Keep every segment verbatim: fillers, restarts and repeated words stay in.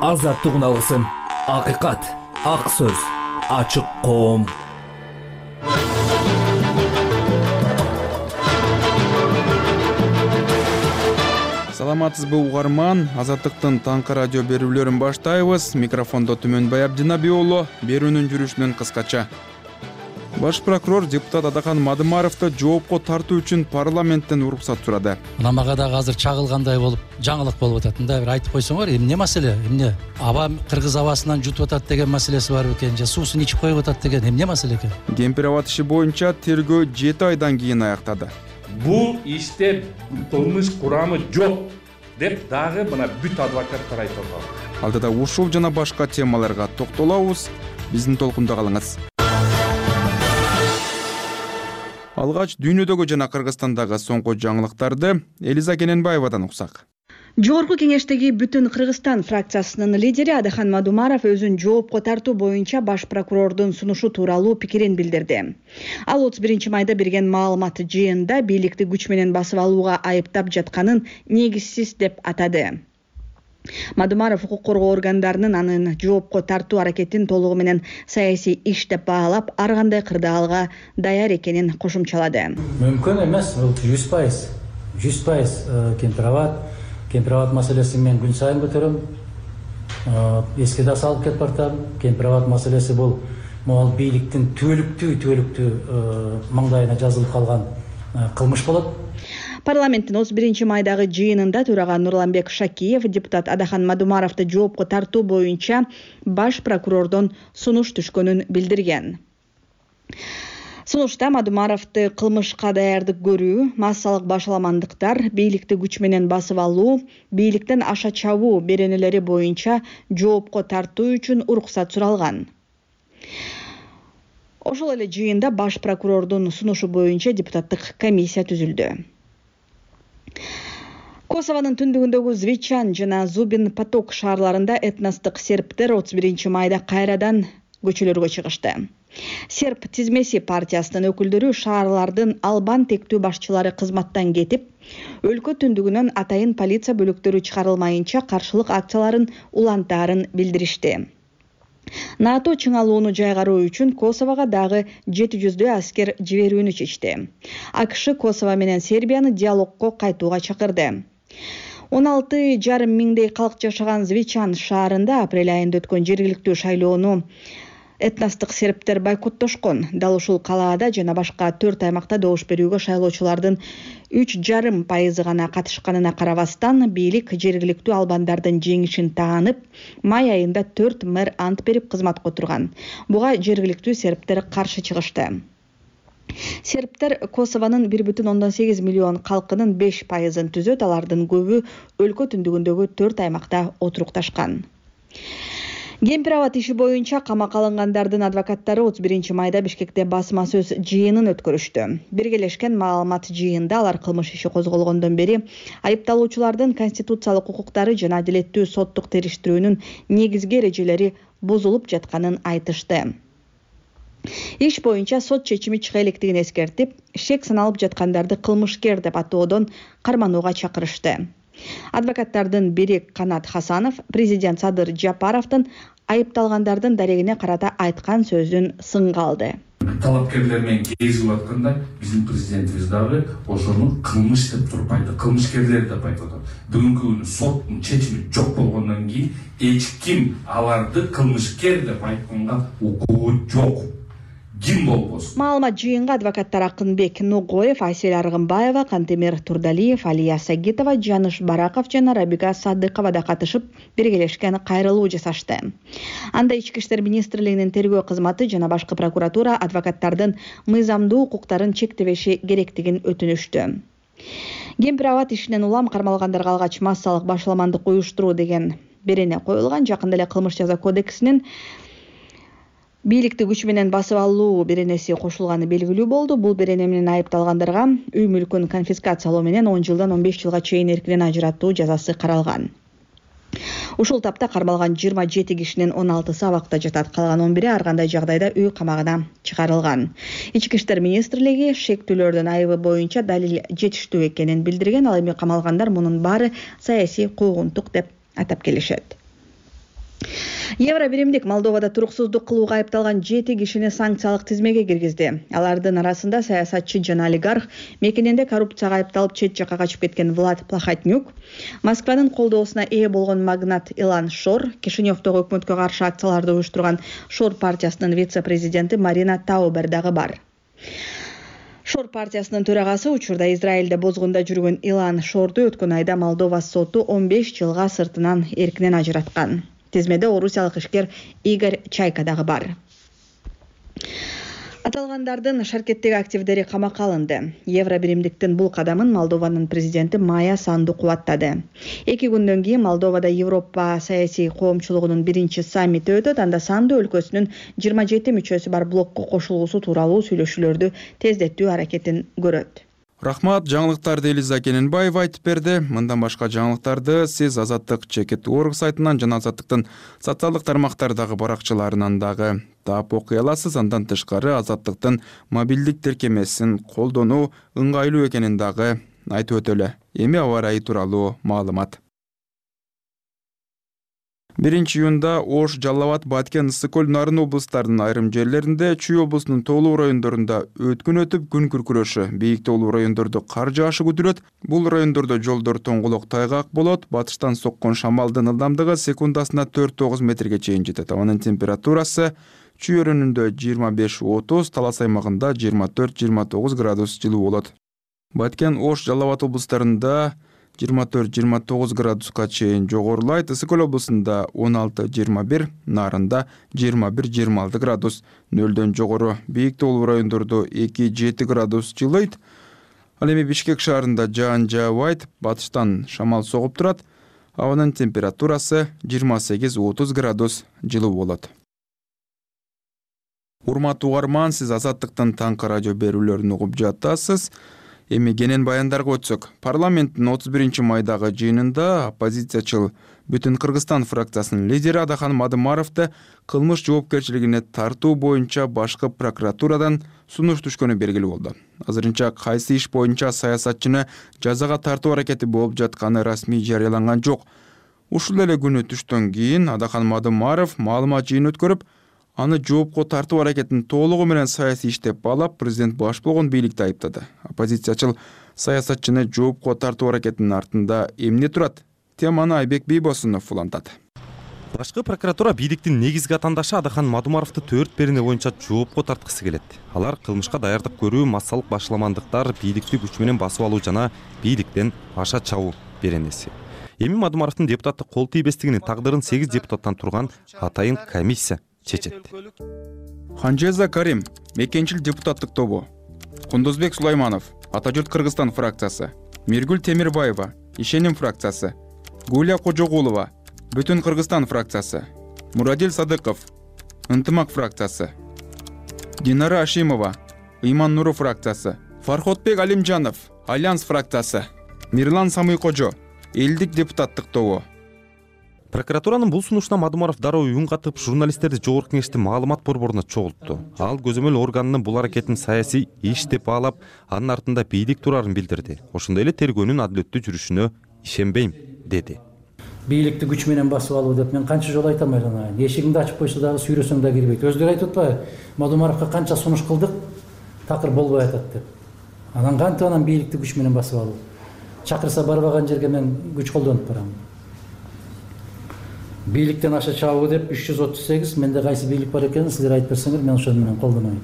азаттыгын алгысың. Акыйкат, ак сөз, ачык коом. Саламатсызбы угарман? Азаттыктын таңкы радио берүүлөрүн баштайбыз. Микрофондо Түмөнбай Абдинабий уулу. Берүүнүн жүрүшүнөн кыскача. Баш прокурор депутат Адахан Мадымаровду жоопко тартуу үчүн парламенттен уруксат сурады. Мына мага дагы азыр чагылгандай болуп, жаңылык болуп атат. Мындай бир айтып койсоңор, эмне маселе? Эмне? Аба кыргыз абасынан жутуп атат деген маселеси барбы экен, же суусун ичип коюп атат деген эмне маселе экен? Кемпир аба иши боюнча тергөө жети айдан кийин аяктады. Бул иште кылмыш курамы жок деп дагы мына бүт адвокаттар айтып атат. Алдыда ушул жана башка темаларга токтолобуз. Биздин толкунда калыңыз. Алгач дүйнөдөгү жана Кыргызстандагы соңку жаңылыктарды Элиза Кененбаевадан уксак. Жогорку кеңештеги Бүтүн Кыргызстан фракциясынын лидери Адахан Мадымаров өзүн жоопко тартуу боюнча баш прокурордун сунушу тууралуу пикирин билдирди. Ал отуз биринчи майда берген маалымат жыйында бийликти күч менен басып алууга айыптап жатканын негизсиз деп атады. Мадымаров укук коргоо органдарынын анын жоопко тартуу аракетин толугу менен саясий иш деп баалап, ар кандай кырдаалга даяр экенин кошумчалады. Мүмкүн эмес, бул жүз пайыз. жүз пайыз кемпирабад, кемпирабад маселесин мен күн сайын көтөрөм. Эске да салып кетип бартам. Кемпирабад маселеси бул могул бийликтин түбөлүктүү түбөлүктүү маңдайына жазылып калган кылмыш болот. Парламенттин отуз биринчи майдагы жыйынында төрага Нурланбек Шакиев депутат Адахан Мадымаровду жоопко тартуу боюнча баш прокурордон сунуш түшкөнүн билдирген. Сунушта Мадымаровду кылмышка даярдык көрүү, массалык башаламандыктар, бийликти күч менен басып алуу, бийликтен аша чабуу беренелери боюнча жоопко тартуу үчүн уруксат суралган. Ошол эле жыйында баш прокурордун сунушу боюнча депутаттык комиссия түзүлдү. Косованын түндүгүндөгү Звичан жана Зубин Поток шаарларында этностук сербтер отуз биринчи майда кайрадан көчөлөргө чыгышты. Серб тизмеси партиясынын өкүлдөрү шаарлардын албан тектүү башчылары кызматтан кетип, өлкө түндүгүнөн атайын полиция бөлүктөрү чыгарылмайынча каршылык акцияларын улантаарын билдиришти. НАТО чыңалууну жайгаруу үчүн Косового дагы жети жүздөй аскер жиберүүнү чечти. АКШ Косово менен Сербияны диалогко кайтууга чакырды. он алты жарым миңдей калк жашаган Звичан шаарында апрель айында өткөн жергиликтүү шайлоону этностук сербтер бойкоттошкон. Дал ушул калаада жана башка төрт аймакта добуш берүүгө шайлоочулардын үч жарым пайызы гана катышканына карабастан, бийлик жергиликтүү албандардын жеңишин таанып, май айында төрт мэр ант берип кызматка отурган. Буга жергиликтүү сербтер каршы чыгышты. Сербтер Косованын бир бүтүн ондон сегиз миллион калкынын беш пайызын түзөт, алардын көбү өлкө түндүгүндөгү төрт аймакта отурукташкан. Кемпирабад иши боюнча камакка алынгандардын адвокаттары отуз биринчи майда Бишкекте басма сөз жыйынын өткөрүштү. Биргелешкен маалымат жыйында алар кылмыш иши козголгондон бери айыпталуучулардын конституциялык укуктары жана адилеттүү соттук териштирүүнүн негизги эрежелери бузулуп жатканын айтышты. Иш боюнча сот чечими чыга электигин эскертип, шек саналып жаткандарды кылмышкер деп атоодон карманууга чакырышты. Адвокаттардын бири Канат Хасанов президент Садыр Жапаровдун айыпталгандардын дарегине карата айткан сөзүн сынга алды. Талапкерлер менен кезип атканда биздин президентибиз дагы ошону кылмыш деп туруп айтты, кылмышкерлер деп айтып атат. Бүгүнкү күнү соттун чечими жок болгондон кийин эч ким аларды кылмышкер деп айтканга укугу жок. Ким болбосун. Маалымат жыйынга адвокаттар Акынбек Ногоев, Айсель Аргымбаева, Кантемир Турдалиев, Алия Сагитова, Жаныш Бараков жана Рабига Садыкова да катышып, биргелешкен кайрылуу жасашты. Анда Ички иштер министрлигинин тергөө кызматы жана башкы прокуратура адвокаттардын мыйзамдуу укуктарын чектебеши керектигин өтүнүштү. Кемпирабад ишинен улам кармалгандарга алгач массалык башаламандык уюштуруу деген берене коюлган. Жакында эле кылмыш жаза кодексинин бийликти күч менен басып алуу беренеси кошулганы белгилүү болду. Бул берене менен айыпталгандарга үй мүлкүн конфискациялоо менен он жылдан он беш жылга чейин эркинен ажыраттуу жазасы каралган. Ушул тапта кармалган жыйырма жети кишинин он алтысы абакта жатат, калган он бири ар кандай жагдайда үй камагына чыгарылган. Ички иштер министрлиги шектүүлөрдүн айыбы боюнча далил жетиштүү экенин билдирген, ал эми камалгандар мунун баары саясий куугунтук деп атап келишет. Евро биримдик Молдовада туруксуздук кылууга айыпталган жети кишини санкциялык тизмеге киргизди. Алардын арасында саясатчы жана олигарх, мекенинде коррупцияга айыпталып чет жакка качып кеткен Влад Плахотнюк, Москванын колдоосуна ээ болгон магнат Илан Шор, Кишиневдогу өкмөткө каршы акцияларды уюштурган Шор партиясынын вице-президенти Марина Таубер дагы бар. Шор партиясынын төрагасы учурда Израилде бозгунда жүргөн Илан Шорду өткөн айда Молдова соту он беш жылга сыртынан эркинен ажыраткан. Тизмеде орусиялык ишкер Игорь Чайка дагы бар. Аталгандардын шаркеттеги активдери камакка алынды. Евро биримдиктин бул кадамын Молдованын президенти Майя Санду кубаттады. Эки күндөн кийин Молдовада Европа саясий коомчулугунун биринчи саммити өтөт. Анда Санду өлкөсүнүн жыйырма жети мүчөсү бар блокко кошулуусу тууралуу сүйлөшүүлөрдү тездетүү аракетин көрөт. Рахмат, жаңылыктарды Элиза Кененбаева айтып берди. Мындан башка жаңылыктарды сиз Азаттык чекит точка орг сайтынан жана Азаттыктын социалдык тармактардагы баракчаларынан дагы таап окуй аласыз. Андан тышкары Азаттыктын мобилдик тиркемесин колдонуу ыңгайлуу экенин дагы айтып өтөлү. Эми аба ырайы тууралуу маалымат. биринчи июнда Ош, Жалал Абад, Баткен, Ысык көл, Нарын облустарынын айрым жерлеринде, Чүй облусунун тоолуу райондорунда өткүн өтүп, күн күркүрөшү. Бийик тоолуу райондордо кар жаашы күтүлөт. Бул райондордо жолдор тоңголок тайгак болот. Батыштан соккон шамалдын ылдамдыгы секундасына төрт тогуз метрге чейин жетет. Абанын температурасы Чүй өрөөнүндө жыйырма беш отуз, Талас аймагында жыйырма төрт жыйырма тогуз градус жылуу болот. Баткен, Ош, Жалал Абад облустарында жыйырма төрт жыйырма тогуз градуска чейин жогорулайт. Ысык көл облусунда он алты жыйырма бир, Нарында жыйырма бир жыйырма алты градус, нөлдөн жогору. Бийик тоолуу райондордо эки жети градус жылыйт. Ал эми Бишкек шаарында жаан жаабайт, батыштан шамал согуп турат. Абанын температурасы жыйырма сегиз отуз градус жылуу болот. Урматтуу угарман, сиз Азаттыктын таңкы радио берүүлөрүн угуп жатасыз. Эми кенен баяндарга өтсөк, парламенттин отуз биринчи майдагы жыйынында оппозициячыл Бүтүн Кыргызстан фракциясынын лидери Адахан Мадымаровду кылмыш жоопкерчилигине тартуу боюнча башкы прокуратурадан сунуш түшкөнү белгилүү болду. Азырынча кайсы иш боюнча саясатчыны жазага тартуу аракети болуп жатканы расмий жарыяланган жок. Ушул эле күнү түштөн кийин Адахан Мадымаров маалымат жыйын өткөрүп, аны жоопко тартуу аракетин толугу менен саясий иш деп баалап, президент баш болгон бийликти айыптады. Оппозициячыл саясатчыны жоопко тартуу аракетинин артында эмне турат? Теманы Айбек Бийбосунов улантат. Башкы прокуратура бийликтин негизги атандашы Адахан Мадымаровду төрт берене боюнча жоопко тарткысы келет. Алар кылмышка даярдык көрүү, массалык башламандыктар, бийликти күч менен басып алуу жана бийликтен аша чабуу беренеси. Эми Мадымаровдун депутаттык кол тийбестигинин тагдырын сегиз депутаттан турган атайын комиссия чечет. Ханжеза Карим, мекенчил депутаттык тобу. Кундузбек Сулайманов, Ата журт Кыргызстан фракциясы. Миргүл Темирбаева, Ишеним фракциясы. Гуля Кожогулова, Бүтүн Кыргызстан фракциясы. Мурадил Садыков, Ынтымак фракциясы. Динара Ашимова, Ыйман Нуру фракциясы. Фарходбек Алимжанов, Альянс фракциясы. Мирлан Самыйкожо, Элдик депутаттык тобу. Прокуратуранын бул сунушуна Мадымаров дароо үн катып, журналисттерди жогорку кеңештин маалымат борборуна чогултту. Ал көзөмөл органынын бул аракетин саясий иш деп баалап, анын артында бийлик турарын билдирди. Ошондой эле тергөөнүн адилеттүү жүрүшүнө ишенбейм деди. Бийликти күч менен басып алуу деп мен канча жолу айтам айран. Эшигиңди ачып койсо дагы сүйрөсөң да кирбейт. Өздөрү айтып атпайбы? Мадымаровго канча сунуш кылдык, такыр болбой атат деп. Анан кантип анан бийликти күч менен басып алуу? Чакырса барбаган жерге мен күч колдонуп барам. Бийликтен аша чабуу деп үч жүз отуз сегиз, менде кайсы бийлик бар экенин силер айтып берсеңер, мен ошол менен колдонойм.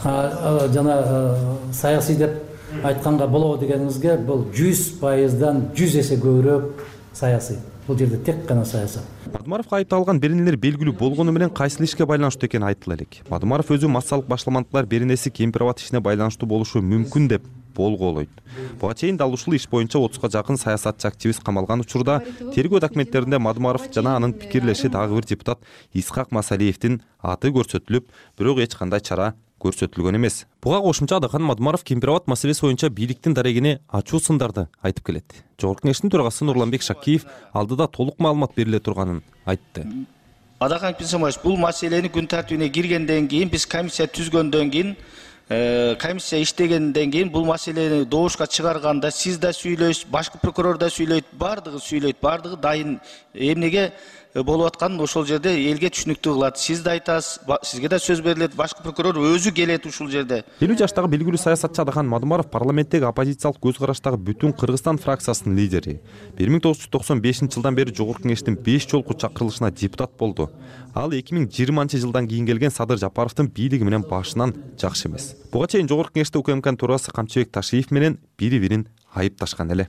А жана саясий деп айтканга болобу дегениңизге, бул жүз пайыздан жүз эсе көбүрөөк саясий. Бул жерде тек гана саясат. Мадымаровго айыпталган беренелер белгилүү болгону менен кайсыл ишке байланыштуу экени айтыла элек. Мадымаров өзү массалык башламандыктар беренеси Кемпирабад ишине байланыштуу болушу мүмкүн деп болголойт. Буга чейин дал ушул иш боюнча отузга жакын саясатчы активист камалган учурда тергөө документтеринде Мадымаров жана анын пикирлеши дагы бир депутат Исхак Масалиевдин аты көрсөтүлүп, бирок эч кандай чара көрсөтүлгөн эмес. Буга кошумча Адахан Мадымаров Кемпирабад маселеси боюнча бийликтин дарегине ачуу сындарды айтып келет. Жогорку кеңештин төрагасы Нурланбек Шакиев алдыда толук маалымат бериле турганын айтты. Адахан Пинсамович, бул маселени күн тартибине киргенден кийин, биз комиссия түзгөндөн кийин комиссия иштегенден кийин бул маселени добушка чыгарганда сиз да сүйлөйсүз, башкы прокурор да сүйлөйт, баардыгы сүйлөйт, баардыгы дайын эмнеге болуп атканын ошол жерде элге түшүнүктүү кылат. Сиз да айтасыз, сизге да сөз берилет, башкы прокурор өзү келет ушул жерде. элүү жаштагы белгилүү саясатчы Адахан Мадумаров парламенттеги оппозициялык көз караштагы Бүтүн Кыргызстан фракциясынын лидери. бир миң тогуз жүз токсон бешинчи жылдан бери Жогорку Кеңештин беш жолку чакырылышына депутат болду. Ал эки миң жыйырманчы жылдан кийин келген Садыр Жапаровдун бийлиги менен башынан жакшы эмес. Буга чейин Жогорку Кеңеште УКМКнын төрагасы Камчыбек Ташиев менен бири-бирин айыпташкан эле.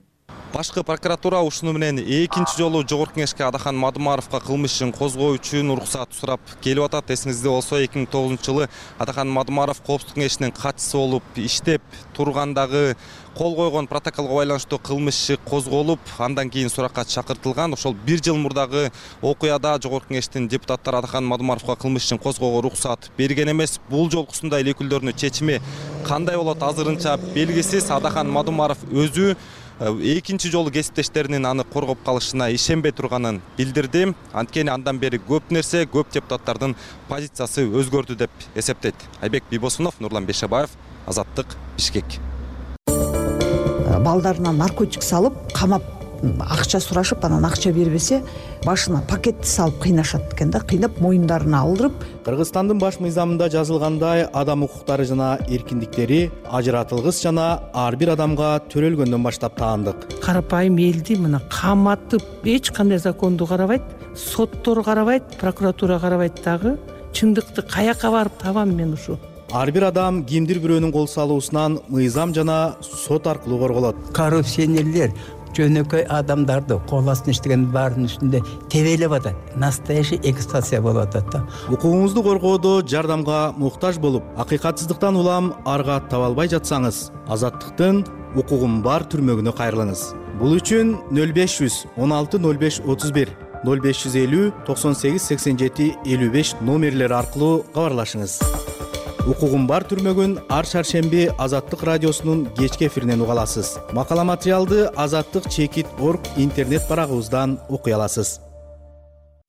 Башкы прокуратура ушуну менен экинчи жолу Жогорку Кеңешке Адахан Мадумаровго кылмыш ишин козгоо үчүн уруксат сурап келип атат. Эсиңизде болсо эки миң тогузунчу жылы Адахан Мадумаров Коопсуздук Кеңешинин катчысы болуп иштеп тургандагы кол койгон протоколго байланыштуу кылмыш иши козголуп, андан кийин суракка чакыртылган. Ошол бир жыл мурдагы окуяда Жогорку Кеңештин депутаттары Адахан Мадумаровго кылмыш ишин козгоого уруксат берген эмес. Бул жолкусундай эле өкүлдөрүнүн чечими кандай болот азырынча белгисиз. Адахан Мадумаров өзү экинчи жолу кесиптештеринин аны коргоп калышына ишенбей турганын билдирди. Анткени андан бери көп нерсе, көп депутаттардын позициясы өзгөрдү деп эсептейт. Айбек Бибосунов, Нурлан Бешебаев, Азаттык, Бишкек. Балдарына наркотик салып, камап, акча сурашып, анан акча бербесе, башына пакетти салып кыйнашат экен да, кыйнап моюндарына алдырып. Кыргызстандын баш мыйзамында жазылгандай, адам укуктары жана эркиндиктери ажыратылгыс жана ар бир адамга төрөлгөндөн баштап таандык. Карапайым элди мына каматып, эч кандай законду карабайт, соттор карабайт, прокуратура карабайт дагы. Чындыкты каяка барып табам мен ушу? Ар бир адам кимдир бирөөнүн кол салуусунан мыйзам жана сот аркылуу корголот. Коррупционерлер жөнөкөй адамдарды кол астына иштеген баарынын үстүндө тебелеп атат. Настоящий эксплуатация болуп атат да. Укугуңузду коргоодо жардамга муктаж болуп, акыйкатсыздыктан улам арга таба албай жатсаңыз, Азаттыктын укугум бар түрмөгүнө кайрылыңыз. Бул үчүн нөл беш жүз он алты нөл беш отуз бир, нөл беш жүз элүү токсон сегиз сексен жети элүү беш номерлери аркылуу кабарлашыңыз. Укугум бар түрмөгүн ар шаршемби Азаттык радиосунун кечки эфиринен уга аласыз. Макала материалды азаттык чекит точка орг интернет барагыбыздан окуй аласыз.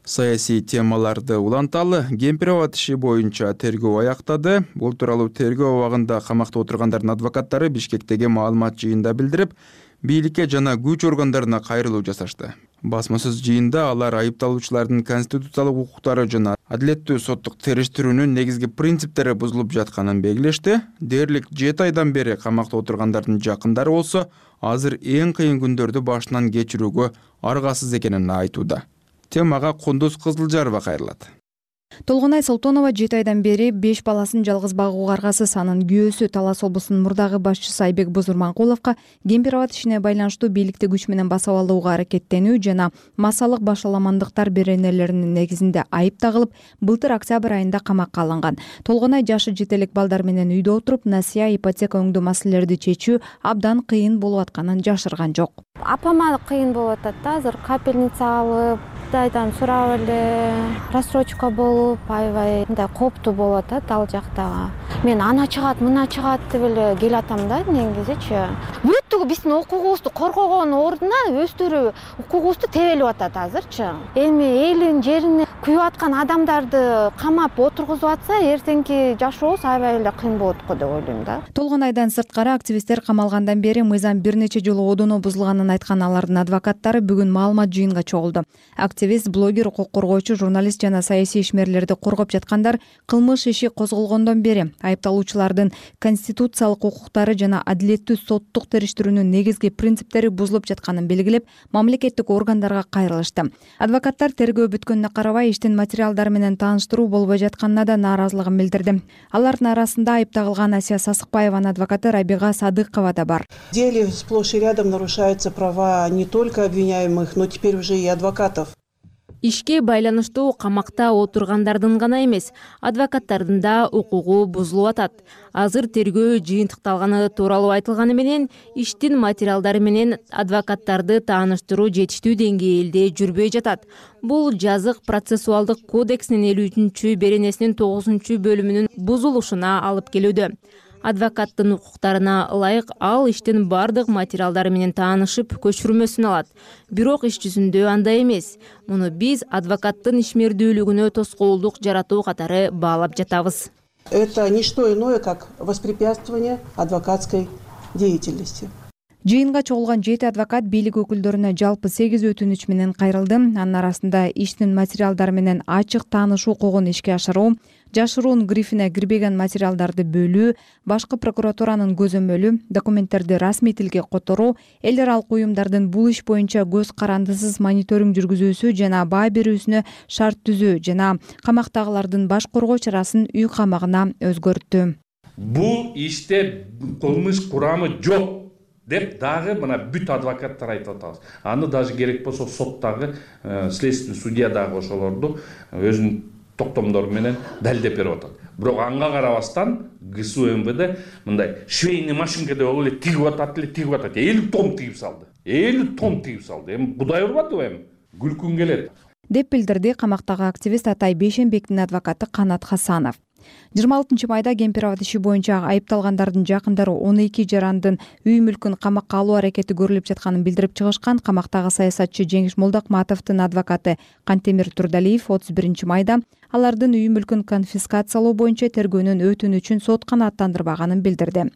Саясий темаларды уланталы Кемпирабад иши боюнча тергөө аяктады. Бул тууралуу тергөө абагында камакта отургандардын адвокаттары Бишкектеги маалымат жыйында билдирип, бийликке жана күч органдарына кайрылуу жасашты. Басмасыз жыйында алар айыпталуучулардын конституциялык укуктары жана адилеттүү соттук териштирүүнүн негизги принциптери бузулуп жатканын белгилешти. Дээрлик жети айдан бери камакта отургандардын жакындары болсо, азыр эң кыйын күндөрдү башынан кечирүүгө аргасыз экенин айтууда. Темага Кундуз Кызылжарова кайрылат. Толгонай Солтонова жети айдан бери беш баласын жалгыз багууга аргасыз. Анын күйөөсү Талас облусунун мурдагы башчысы Айбек Бузурманкуловго Кемпирабад ишине байланыштуу бийликти күч менен басып алууга аракеттенүү жана массалык башаламандыктар беренелеринин негизинде айып тагылып, былтыр октябрь айында камакка алынган. Толгонай жашы жетелик балдар менен үйдө отуруп, насыя, ипотека өңдүү маселелерди чечүү абдан кыйын болуп атканын жашырган жок. Апама кыйын болуп атат да, азыр капельница алып, Дайдан сурап эле, рассрочка болуп, аябай мындай коптуу болуп атат ал жактагы. Мен ана чыгат, мына чыгат деп эле келатам да негизичи. Бүттүгү биздин укугубузду коргогон ордуна өздөрү укугубузду тебелип атат азырчы. Эми элин жерине күйүп аткан адамдарды камап отургузуп атса, эртеңки жашообуз аябай эле кыйын болот го деп ойлойм да. Толгонайдан сырткары активисттер камалгандан бери мыйзам бир нече жолу одоно бузулганын айткан алардын адвокаттары бүгүн маалымат жыйынга чогулду. Активист, блогер, укук коргоочу, журналист жана саясий ишмерлерди коргоп жаткандар кылмыш иши козголгондон бери айыпталуучулардын конституциялык укуктары жана адилеттүү соттук териштирүүнүн негизги принциптери бузулуп жатканын белгилеп, мамлекеттик органдарга кайрылышты. Адвокаттар тергөө бүткөнүнө карабай иштин материалдары менен тааныштыруу болбой жатканына да нааразылыгын билдирди. Алардын арасында айып тагылган Асия Сасыкбаеванын адвокаты Рабига Садыкова да бар. В деле сплошь и рядом нарушаются права не только обвиняемых, но теперь уже и адвокатов. Ишке байланыштуу камакта отургандардын гана эмес, адвокаттардын да укугу бузулуп атат. Азыр тергөө жыйынтыкталганы тууралуу айтылганы менен, иштин материалдары менен адвокаттарды тааныштыруу жетиштүү деңгээлде жүрбөй жатат. Бул жазык процессуалдык кодексинин элүү үчүнчү беренесинин тогузунчу бөлүмүнүн бузулушуна алып келүүдө. Адвокаттын укуктарына ылайык ал иштин бардык материалдары менен таанышып, көчүрмөсүн алат. Бирок иш жүзүндө андай эмес. Муну биз адвокаттын ишмердүүлүгүнө тоскоолдук жаратуу катары баалап жатабыз. Это не что иное, как воспрепятствование адвокатской деятельности. Жыйынга чогулган жети адвокат бийлик өкүлдөрүнө жалпы сегиз өтүнүч менен кайрылды. Анын арасында иштин материалдары менен ачык таанышуу укугун ишке ашыруу, жашыруун грифине кирбеген материалдарды бөлүү, башкы прокуратуранын көзөмөлү, документтерди расмий тилге которуу, эл аралык уюмдардын бул иш боюнча көз карандысыз мониторинг жүргүзүүсү жана баа берүүсүнө шарт түзүү жана камактагылардын баш коргоо чарасын үй камагына өзгөрттү. Бул иште кылмыш курамы жок деп дагы мына бүт адвокаттар айтып атабыз. Аны даже керек болсо соттагы следственный судья дагы ошолорду өзүнүн токтомдору менен далилдеп берип атат. Бирок анга карабастан ГСУ МВД мындай швейный машинкада болуп эле тигип атат эле тигип атат. элүү том тигип салды. элүү том тигип салды. Эми Кудай урбадыбы эми? Күлкүң келет. Деп билдирди камактагы активист Атай Бейшенбектин адвокаты Канат Хасанов. жыйырма алтынчы майда Кемпирабад иши боюнча айыпталгандардын жакындары он эки жарандын үй мүлкүн камакка алуу аракети көрүлүп жатканын билдирип чыгышкан. Камактагы саясатчы Жеңиш Молдокматовдун адвокаты Кантемир Турдалиев отуз биринчи майда алардын үй мүлкүн конфискациялоо боюнча тергөөнүн өтүнүчүн сот канааттандырбаганын билдирди.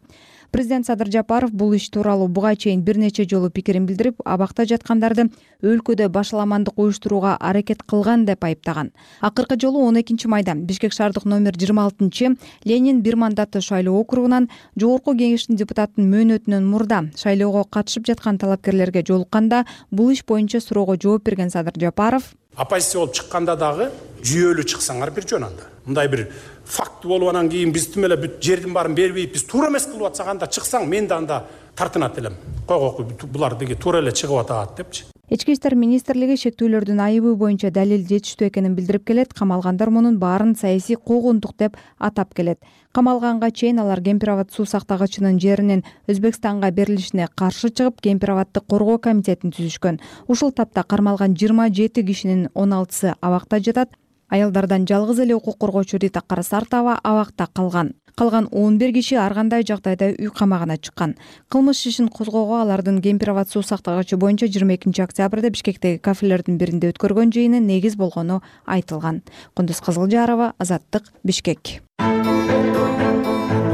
Президент Садыр Жапаров бул иш тууралуу буга чейин бир нече жолу пикирин билдирип, абакта жаткандарды өлкөдө башаламандык уюштурууга аракет кылган деп айыптаган. Акыркы жолу он экинчи майда Бишкек шаардык номер жыйырма алтынчы Ленин бир мандаттуу шайлоо округунан Жогорку Кеңештин депутатынын мөөнөтүнөн мурда шайлоого катышып жаткан талапкерлерге жолукканда бул иш боюнча суроого жооп берген Садыр Жапаров оппозиция болуп чыкканда дагы жүйөлүү чыксаңар бир жөн анда. Мындай бир факт болуп анан кийин биз тим эле бүт жердин баарын бербейт, биз туура эмес кылып атсак анда чыксаң мен да анда тартынат элем. Койгоку булар деги туура эле чыгып атат депчи. Ички иштер министрлиги шектүүлөрдүн айыбы боюнча далил жетиштүү экенин билдирип келет. Камалгандар мунун баарын саясий куугунтук деп атап келет. Камалганга чейин алар Кемпирабад суу сактагычынын жеринин Өзбекстанга берилишине каршы чыгып, Кемпирабадды коргоо комитетин түзүшкөн. Ушул тапта кармалган жыйырма жети кишинин он алтысы абакта жатат. Аялдардан жалгыз эле укук коргоочу Рита Карасартова абакта калган. Калган он бир киши ар кандай жагдайда үй камагына чыккан. Кылмыш ишин козгоого алардын Кемпирабад суу сактагычы боюнча жыйырма экинчи октябрда Бишкектеги кафелердин биринде өткөргөн жыйыны негиз болгону айтылган. Кундуз Кызылжарова, Азаттык, Бишкек.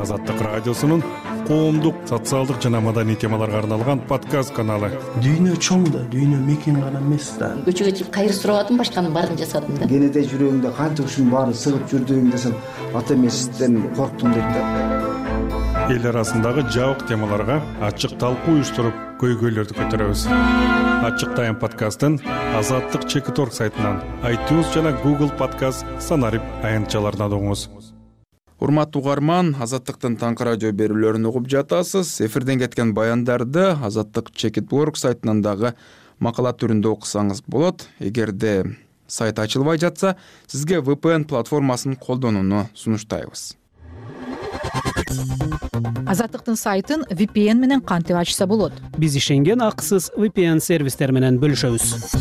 Азаттык радиосунун коомдук, социалдык жана маданий темаларга арналган подкаст каналы. Дүйнө чоң да, дүйнө мекен гана эмес да. Көчөгө чыгып кайыр сурабадым, башканын баарын жасадым да. Кенеде жүрөгүңдө канча ушунун баарын сыгып жүрдүң десем, ата эмесизден корктум дейт да. Эл арасындагы жабык темаларга ачык талкуу уюштуруп, көйгөйлөрдү көтөрөбүз. Ачык тайм подкастын Азаттык чекит точка орг сайтынан, iTunes жана Google Podcast санарип аянтчаларынан угуңуз. Урматтуу угарман, Азаттыктын таңкы радио берүүлөрүн угуп жатасыз. Эфирден кеткен баяндарды Азаттык чекит точка орг сайтынан дагы макала түрүндө окусаңыз болот. Эгерде сайт ачылбай жатса, сизге ви пи эн платформасын колдонууну сунуштайбыз. Азаттыктын сайтын ви пи эн менен кантип ачса болот? Биз ишенген акысыз ви пи эн сервистер менен бөлүшөбүз.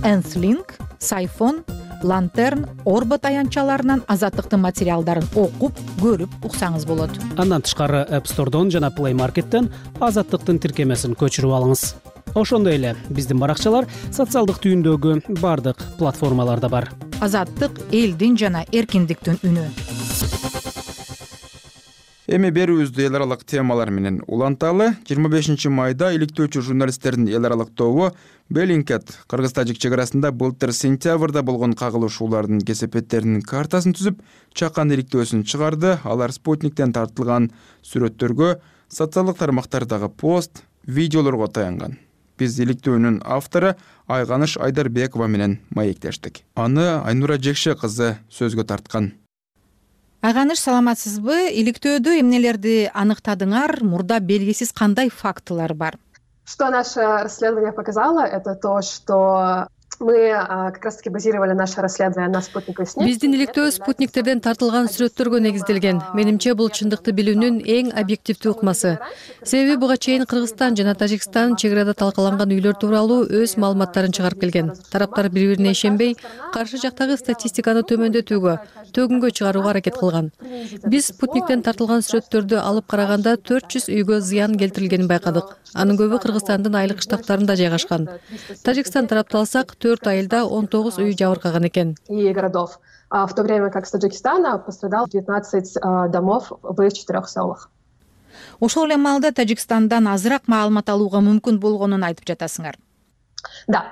Энслинк, Сайфон, Лантерн, Орбот аянтчаларынан Азаттыктын материалдарын окуп, көрүп уксаңыз болот. Андан тышкары App Store'дон жана Play Market'тен Азаттыктын тиркемесин көчүрүп алыңыз. Ошондой эле биздин баракчалар социалдык түйүндөгү бардык платформаларда бар. Азаттык элдин жана эркиндиктин үнү. Эми берүүбүздү эл аралык темалар менен уланталы. жыйырма бешинчи майда иликтөөчү журналисттердин эл аралык тобу Белинкет кыргыз-тажик чек арасында былтыр сентябрда болгон кагылышуулардын кесепеттеринин картасын түзүп, чакан иликтөөсүн чыгарды. Алар Спутниктен тартылган сүрөттөргө, социалдык тармактардагы пост, видеолорго таянган. Биз иликтөөнүн автору Айганыш Айдарбекова менен маектештик. Аны Айнура Жекше кызы сөзгө тарткан. Айганыш, саламатсызбы? Иликтөөдө эмнелерди аныктадыңар? Мурда белгисиз кандай фактылар бар? Что наше расследование показало, это то, что мы как раз-таки базировали наше расследование на спутнике СНИ. Биздин иликтөө спутниктерден тартылган сүрөттөргө негизделген. Менимче бул чындыкты билүүнүн эң объективдүү ыкмасы. Себеби буга чейин Кыргызстан жана Тажикстан чек арада талкаланган үйлөр тууралуу өз маалыматтарын чыгарып келген. Тараптар бири-бирине ишенбей, каршы жактагы статистиканы төмөндөтүүгө, төгүнгө чыгарууга аракет кылган. Биз спутниктен тартылган сүрөттөрдү алып караганда төрт жүз үйгө зыян келтирилгенин байкадык. Анын көбү Кыргызстандын айылык штабтарында жайгашкан. Тажикстан тарапталсак, төрт айылда он тогуз үй жабыркаган экен. И городов. в то время как с Таджикистана пострадало девятнадцать домов в четырех селах. Ошол эле маалда Тажикстандан азыраак маалымат алууга мүмкүн болгонун айтып жатасыңар. Да.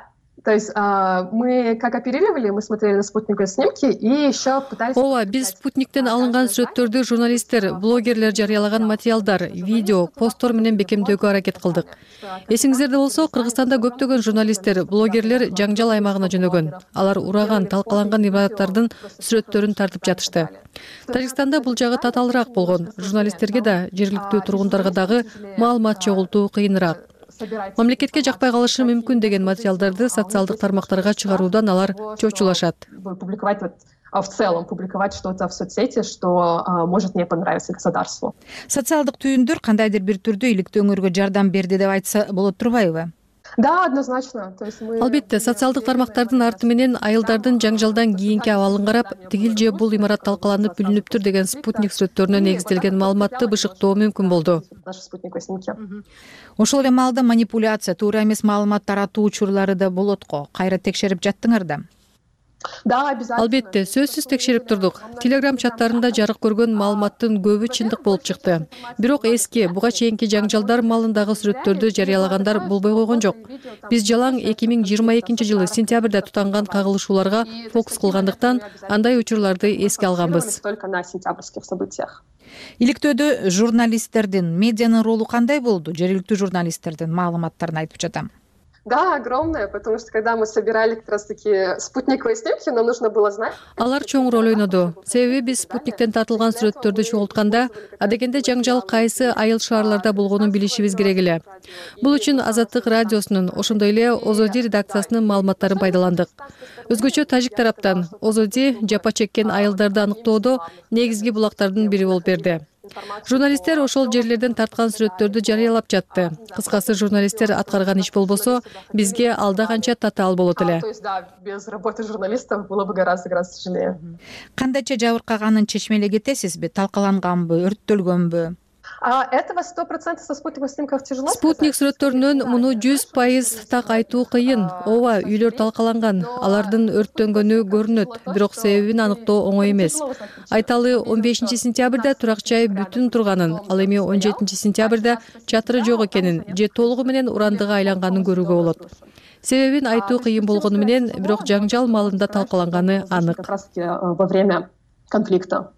То есть мы как оперировали, мы смотрели на спутниковые снимки и еще пытались... Ооба, биз спутниктен алынган сүрөттөрдү журналисттер, блогерлер жарыялаган материалдар, видео, посттор менен бекемдөөгө аракет кылдык. Эсиңиздерде болсо, Кыргызстанда көптөгөн журналисттер, блогерлер жаңжал аймагына жөнөгөн. Алар ураган, талкаланган имараттардын сүрөттөрүн тартып жатышты. Тажикстанда бул жагы татаалыраак болгон. Журналисттерге да, жергиликтүү тургундарга дагы маалымат чогултуу кыйыныраак. Мамлекетке жакпай калышы мүмкүн деген материалдарды социалдык тармактарга чыгаруудан алар чочулашат. Публиковать в целом, публиковать что-то в соцсети, что может не понравиться государству. Социалдык түйүндөр кандайдыр бир түрдө иликтөөңөргө жардам берди деп айтса болот турбайбы? Да, однозначно. То есть мы... Албетте, социалдык тармактардын арты менен айылдардын жаңжалдан кийинки абалын карап, тигил же бул имарат талкаланып бүлүнүптүр деген спутник сүрөттөрүнө негизделген маалыматты бышыктоо мүмкүн болду. Ошол эле маалда манипуляция, туура эмес маалымат таратуу учурлары да болот го. Кайра текшерип жаттыңар да? Да, обязательно. Албетте, сөзсүз текшерип турдук. Телеграм чаттарында жарык көргөн маалыматтын көбү чындык болуп чыкты. Бирок эски, буга чейинки жаңжалдар маалындагы сүрөттөрдү жарыялагандар болбой койгон жок. Биз жалаң эки миң жыйырма экинчи жылы сентябрда тутанган кагылышууларга фокус кылгандыктан андай учурларды эске алганбыз. Только на сентябрьских событиях. Иликтөөдө журналисттердин, медианын ролу кандай болду? Жергиликтүү журналисттердин маалыматтарын айтып жатам. Да, огромное, потому что когда мы собирали как раз-таки спутниковые снимки, нам нужно было знать... Алар чоң роль ойноду. Себеби биз спутниктен тартылган сүрөттөрдү чогултканда, адегенде жаңжал кайсы айыл шаарларда болгонун билишибиз керек эле. Бул үчүн Азаттык радиосунун, ошондой эле Озоди редакциясынын маалыматтарын пайдаландык. Өзгөчө тажик тараптан Озоди жапа чеккен айылдарды аныктоодо негизги булактардын бири болуп берди. Журналисттер ошол жерлерден тарткан сүрөттөрдү жарыялап жатты. Кыскасы, журналисттер аткарган иш болбосо, бизге алда канча татаал болот эле. То есть, да, без работы журналистов было бы гораздо-гораздо тяжелее. Кандайча жабыркаганын чечмелей кетесизби? Талкаланганбы, өрттөлгөнбү? А этого сто процентов со спутниковых снимков тяжело. Спутник сүрөттөрүнөн муну жүз пайыз так айтуу кыйын. Ооба, үйлөр талкаланган, алардын өрттөнгөнү көрүнөт, бирок себебин аныктоо оңой эмес. Айталы, он бешинчи сентябрда турак жай бүтүн турганын, ал эми он жетинчи сентябрда чатыры жок экенин же толугу менен урандыга айланганын көрүүгө болот. Себебин айтуу кыйын болгону менен, бирок жаңжал маалында талкаланганы анык. Как раз во время конфликта.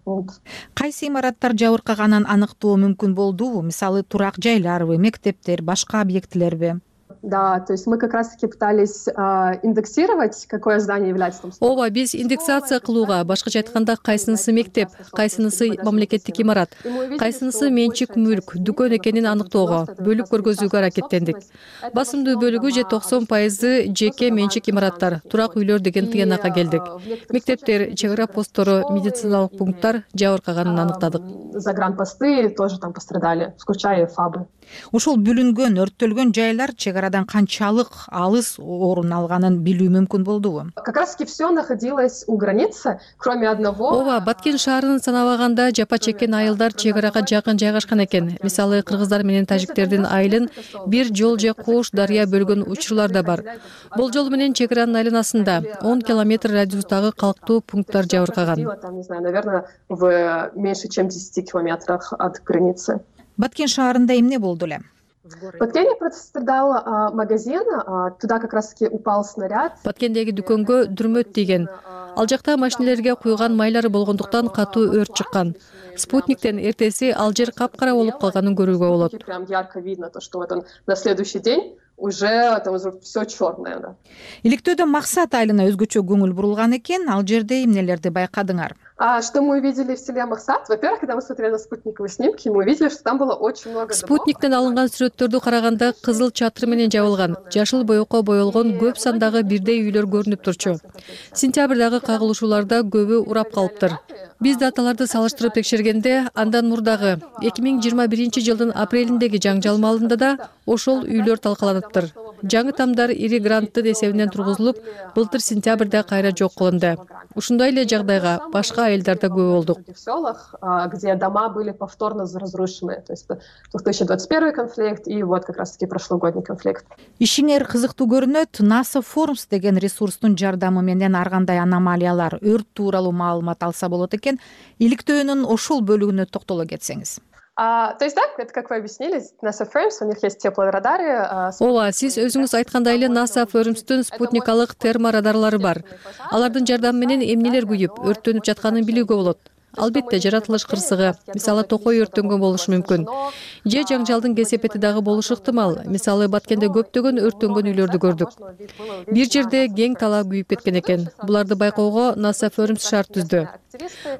Кайсы имараттар жабыркаганын аныктоо мүмкүн болдубу? Мисалы, турак жайларбы, мектептер, башка объектилерби? Да, то есть мы как раз-таки пытались э, индексировать, какое здание является там. Ооба, биз индексация кылууга, башкача айтканда, кайсынысы мектеп, кайсынысы мамлекеттик имарат, кайсынысы менчик мүлк, дүкөн экенин аныктоого, бөлүп көргөзүүгө аракеттендик. Басымдуу бөлүгү же токсон пайызы жеке менчик имараттар, турак үйлөр деген тыянакка келдик. Мектептер, чек ара посттору, медициналык пункттар жабыркаганын аныктадык. Загранпосты тоже там пострадали, включая ФАБы. Ушул бүлүнгөн, өрттөлгөн жайлар чек арадан канчалык алыс орун алганын билүү мүмкүн болдубу? Как раз-таки все находилось у границы, кроме одного. Ооба, Баткен шаарынын санабаганда жапа чеккен айылдар чек арага жакын жайгашкан экен. Мисалы, кыргыздар менен тажиктердин айылын бир жол же кош дарыя бөлгөн учурлар да бар. Болжол менен чек аранын айланасында он километр радиустагы калктуу пункттар жабыркаган. Там, не знаю, наверное, в меньше чем десяти километрах от границы. Баткен шаарында эмне болду эле? В Баткене пострадал а, магазин, а, туда как раз-таки упал снаряд. Баткендеги дүкөнгө дүрмөт тийген. Ал жакта машинелерге куйган майлары болгондуктан катуу өрт чыккан. Спутниктен эртеси ал жер капкара болуп калганын көрүүгө болот. Прям ярко видно то, что вот он на следующий день уже там все черное, да. Иликтөөдө Максат айылына өзгөчө көңүл бурулган экен, ал жерде эмнелерди байкадыңар? А что мы увидели в селе Максат? Во-первых, когда мы смотрели на спутниковые снимки, мы увидели, что там было очень много домов. Спутниктен алынган сүрөттөрдү караганда кызыл чатыр менен жабылган, жашыл боекко боелгон көп сандагы бирдей үйлөр көрүнүп турчу. Сентябрдагы кагылышууларда көбү урап калыптыр. Биз даталарды салыштырып текшергенде, андан мурдагы эки миң жыйырма биринчи жылдын апрелиндеги жаңжал маалында да ошол үйлөр талкаланыптыр. жаңы тамдар ири гранттын эсебинен тургузулуп, былтыр сентябрда кайра жок кылынды. Ушундай эле жагдайга башка айылдарда күбө болдук. В селах, где дома были повторно разрушены. То есть две тысячи двадцать первый конфликт и вот как раз-таки прошлогодний конфликт. Ишиңер кызыктуу көрүнөт. NASA Forums деген ресурстун жардамы менен ар кандай аномалиялар, өрт тууралуу маалымат алса болот экен. Иликтөөнүн ошол бөлүгүнө токтоло кетсеңиз. А, то есть, да, это как вы объяснили, NASA Forums, у них есть теплорадары. А, Ооба, сиз өзүңүз айткандай эле NASA Forumстун спутникалык терморадарлары бар. Алардын жардамы менен эмнелер күйүп, өрттөнүп жатканын билүүгө болот. Албетте, жаратылыш кырсыгы, мисалы токой өрттөнгөн болушу мүмкүн. Же жаңжалдын кесепети дагы болушу ыктымал. Мисалы Баткенде көптөгөн өрттөнгөн үйлөрдү көрдүк. Бир жерде кең талаа күйүп кеткен экен. Буларды байкоого NASA Forums шарт түздү.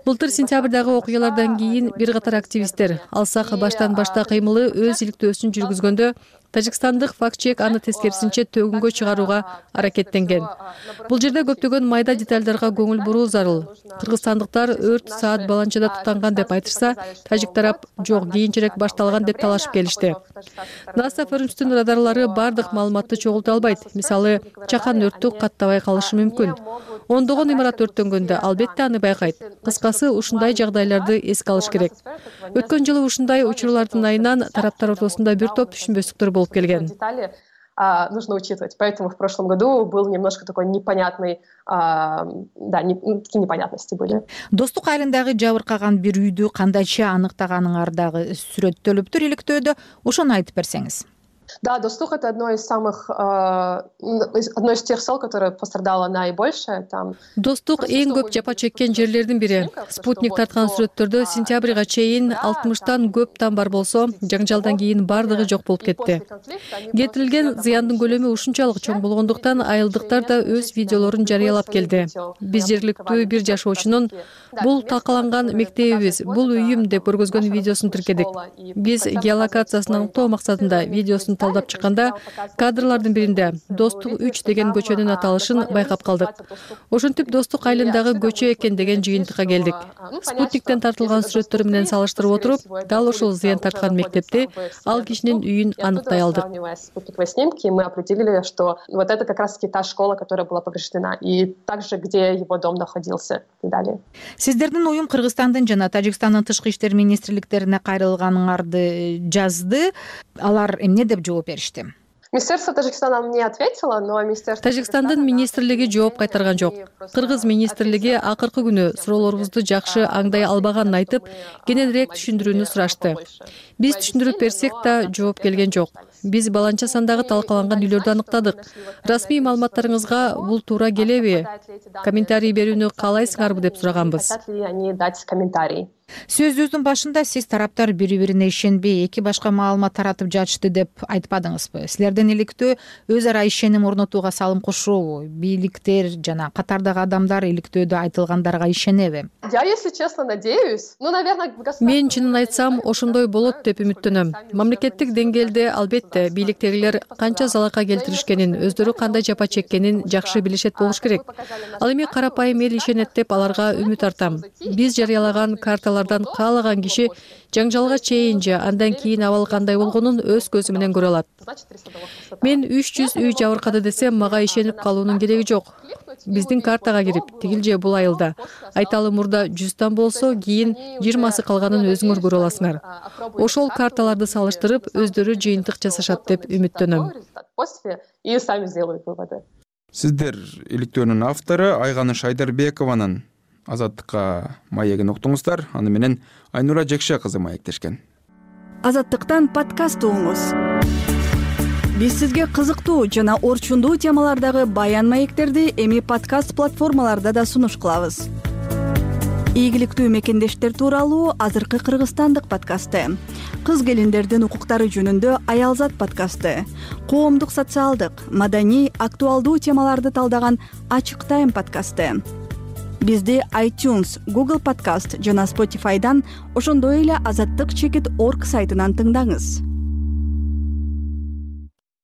Былтыр сентябрдагы окуялардан кийин бир катар активисттер алсак баштан башта кыймылы өз иликтөөсүн жүргүзгөндө тажикстандык факт-чек аны тескерисинче төгүнгө чыгарууга аракеттенген. Бул жерде көптөгөн майда детальдарга көңүл буруу зарыл. Кыргызстандыктар өрт саат баланчада тутанган деп айтышса, тажик тарап жок, кийинчерээк башталган деп талашып келишти. NASA Forumстун радарлары бардык маалыматты чогулта албайт. Мисалы, чакан өрттү каттабай калышы мүмкүн. Ондогон имарат өрттөнгөндө албетте аны байкайт. Кыскасы, ушундай жагдайларды эске алыш керек. Өткөн жылы ушундай учурлардын айынан тараптар ортосунда бир топ түшүнбөстүктөр болуп келген. А, нужно учитывать. Поэтому в прошлом году был немножко такой непонятный, а, да, не, такие непонятности были. Достук айылындагы жабыркаган бир үйдү кандайча аныктаганыңардагы сүрөттөлүптүр иликтөөдө, ошону айтып берсеңиз. Да, Достух — это одно из самых, э, одно из тех сел, которое пострадало наибольше. Там... Достук эң көп жапа чеккен жерлердин бири. Спутник тарткан сүрөттөрдө сентябрга чейин алтымыштан көп там бар болсо, жаңжалдан кийин бардыгы жок болуп кетти. Кетирилген зыяндын көлөмү ушунчалык чоң болгондуктан айылдыктар да өз видеолорун жарыялап келди. Биз жергиликтүү бир жашоочунун бул талкаланган мектебибиз, бул үйүм деп көргөзгөн видеосун тиркедик. Биз геолокациясын аныктоо максатында видеосун талдап чыкканда кадрлардын биринде Достук үч деген көчөнүн аталышын байкап калдык. Ошентип Достук айылындагы көчө экен деген жыйынтыкка келдик. Спутниктен тартылган сүрөттөр менен салыштырып отуруп, дал ошол зыян тарткан мектепти, ал кишинин үйүн аныктай алдык. Спутниковые снимки, мы определили, что вот это как раз-таки та школа, которая была повреждена, и также, где его дом находился, и далее. Сиздердин уюм Кыргызстандын жана Тажикстандын тышкы иштер министрликтерине кайрылганыңарды жазды. Алар эмне деп жооп беришти? Министерство Тажикстана мне ответило, но Министерство... Тажикстандын министрлиги жооп кайтарган жок. Кыргыз министрлиги акыркы күнү суроолорубузду жакшы аңдай албаганын айтып, кененирээк түшүндүрүүнү сурашты. Биз түшүндүрүп берсек да жооп келген жок. Биз баланча сандагы талкаланган үйлөрдү аныктадык. Расмий маалыматтарыңызга бул туура келеби? Комментарий берүүнү каалайсыңарбы деп сураганбыз. Сөзүңүздүн башында сиз тараптар бири-бирине ишенбей, эки башка маалымат таратып жатышты деп айтпадыңызбы? Силердин иликтөө өз ара ишеним орнотууга салым кошобу? Бийликтер жана катардагы адамдар иликтөөдө айтылгандарга ишенеби? Я, если честно, надеюсь. Ну, наверное, Мен чынын айтсам, ошондой болот деп үмүттөнөм. Мамлекеттик деңгээлде албетте бийликтегилер канча залалга келтиришкенин, өздөрү кандай жапа чеккенин жакшы билишет болуш керек. Ал эми карапайым эл ишенет деп аларга үмүт артам. Биз жарыялаган карталардан каалаган киши жаңжалга чейин же андан кийин абал кандай болгонун өз көзү менен көрө алат. Мен үч жүз үй жабыркады десем, мага ишенип калуунун кереги жок. Биздин картага кирип, тигил же бул айылда айталы мурда жүздөн болсо, кийин жыйырмасы калганын өзүңөр көрө аласыңар. Ошол карталарды салыштырып, өздөрү жыйынтык жасашат деп үмүттөнөм. Сиздер иликтөөнүн автору Айганыш Айдарбекованын Азаттыкка маегин уктуңуздар. Аны менен Айнура Жекше кызы маектешкен. Азаттыктан подкаст угуңуз. Биз сизге кызыктуу жана орчундуу темалардагы баян маектерди эми подкаст платформаларда да сунуш кылабыз. Ийгиликтүү мекендештер тууралуу азыркы кыргызстандык подкасты, кыз келиндердин укуктары жөнүндө Аялзат подкасты, коомдук социалдык, маданий, актуалдуу темаларды талдаган Ачык Тайм подкасты. Бизди iTunes, Google Podcast жана Spotify'дан, ошондой эле азаттык чекит точка орг сайтынан тыңдаңыз.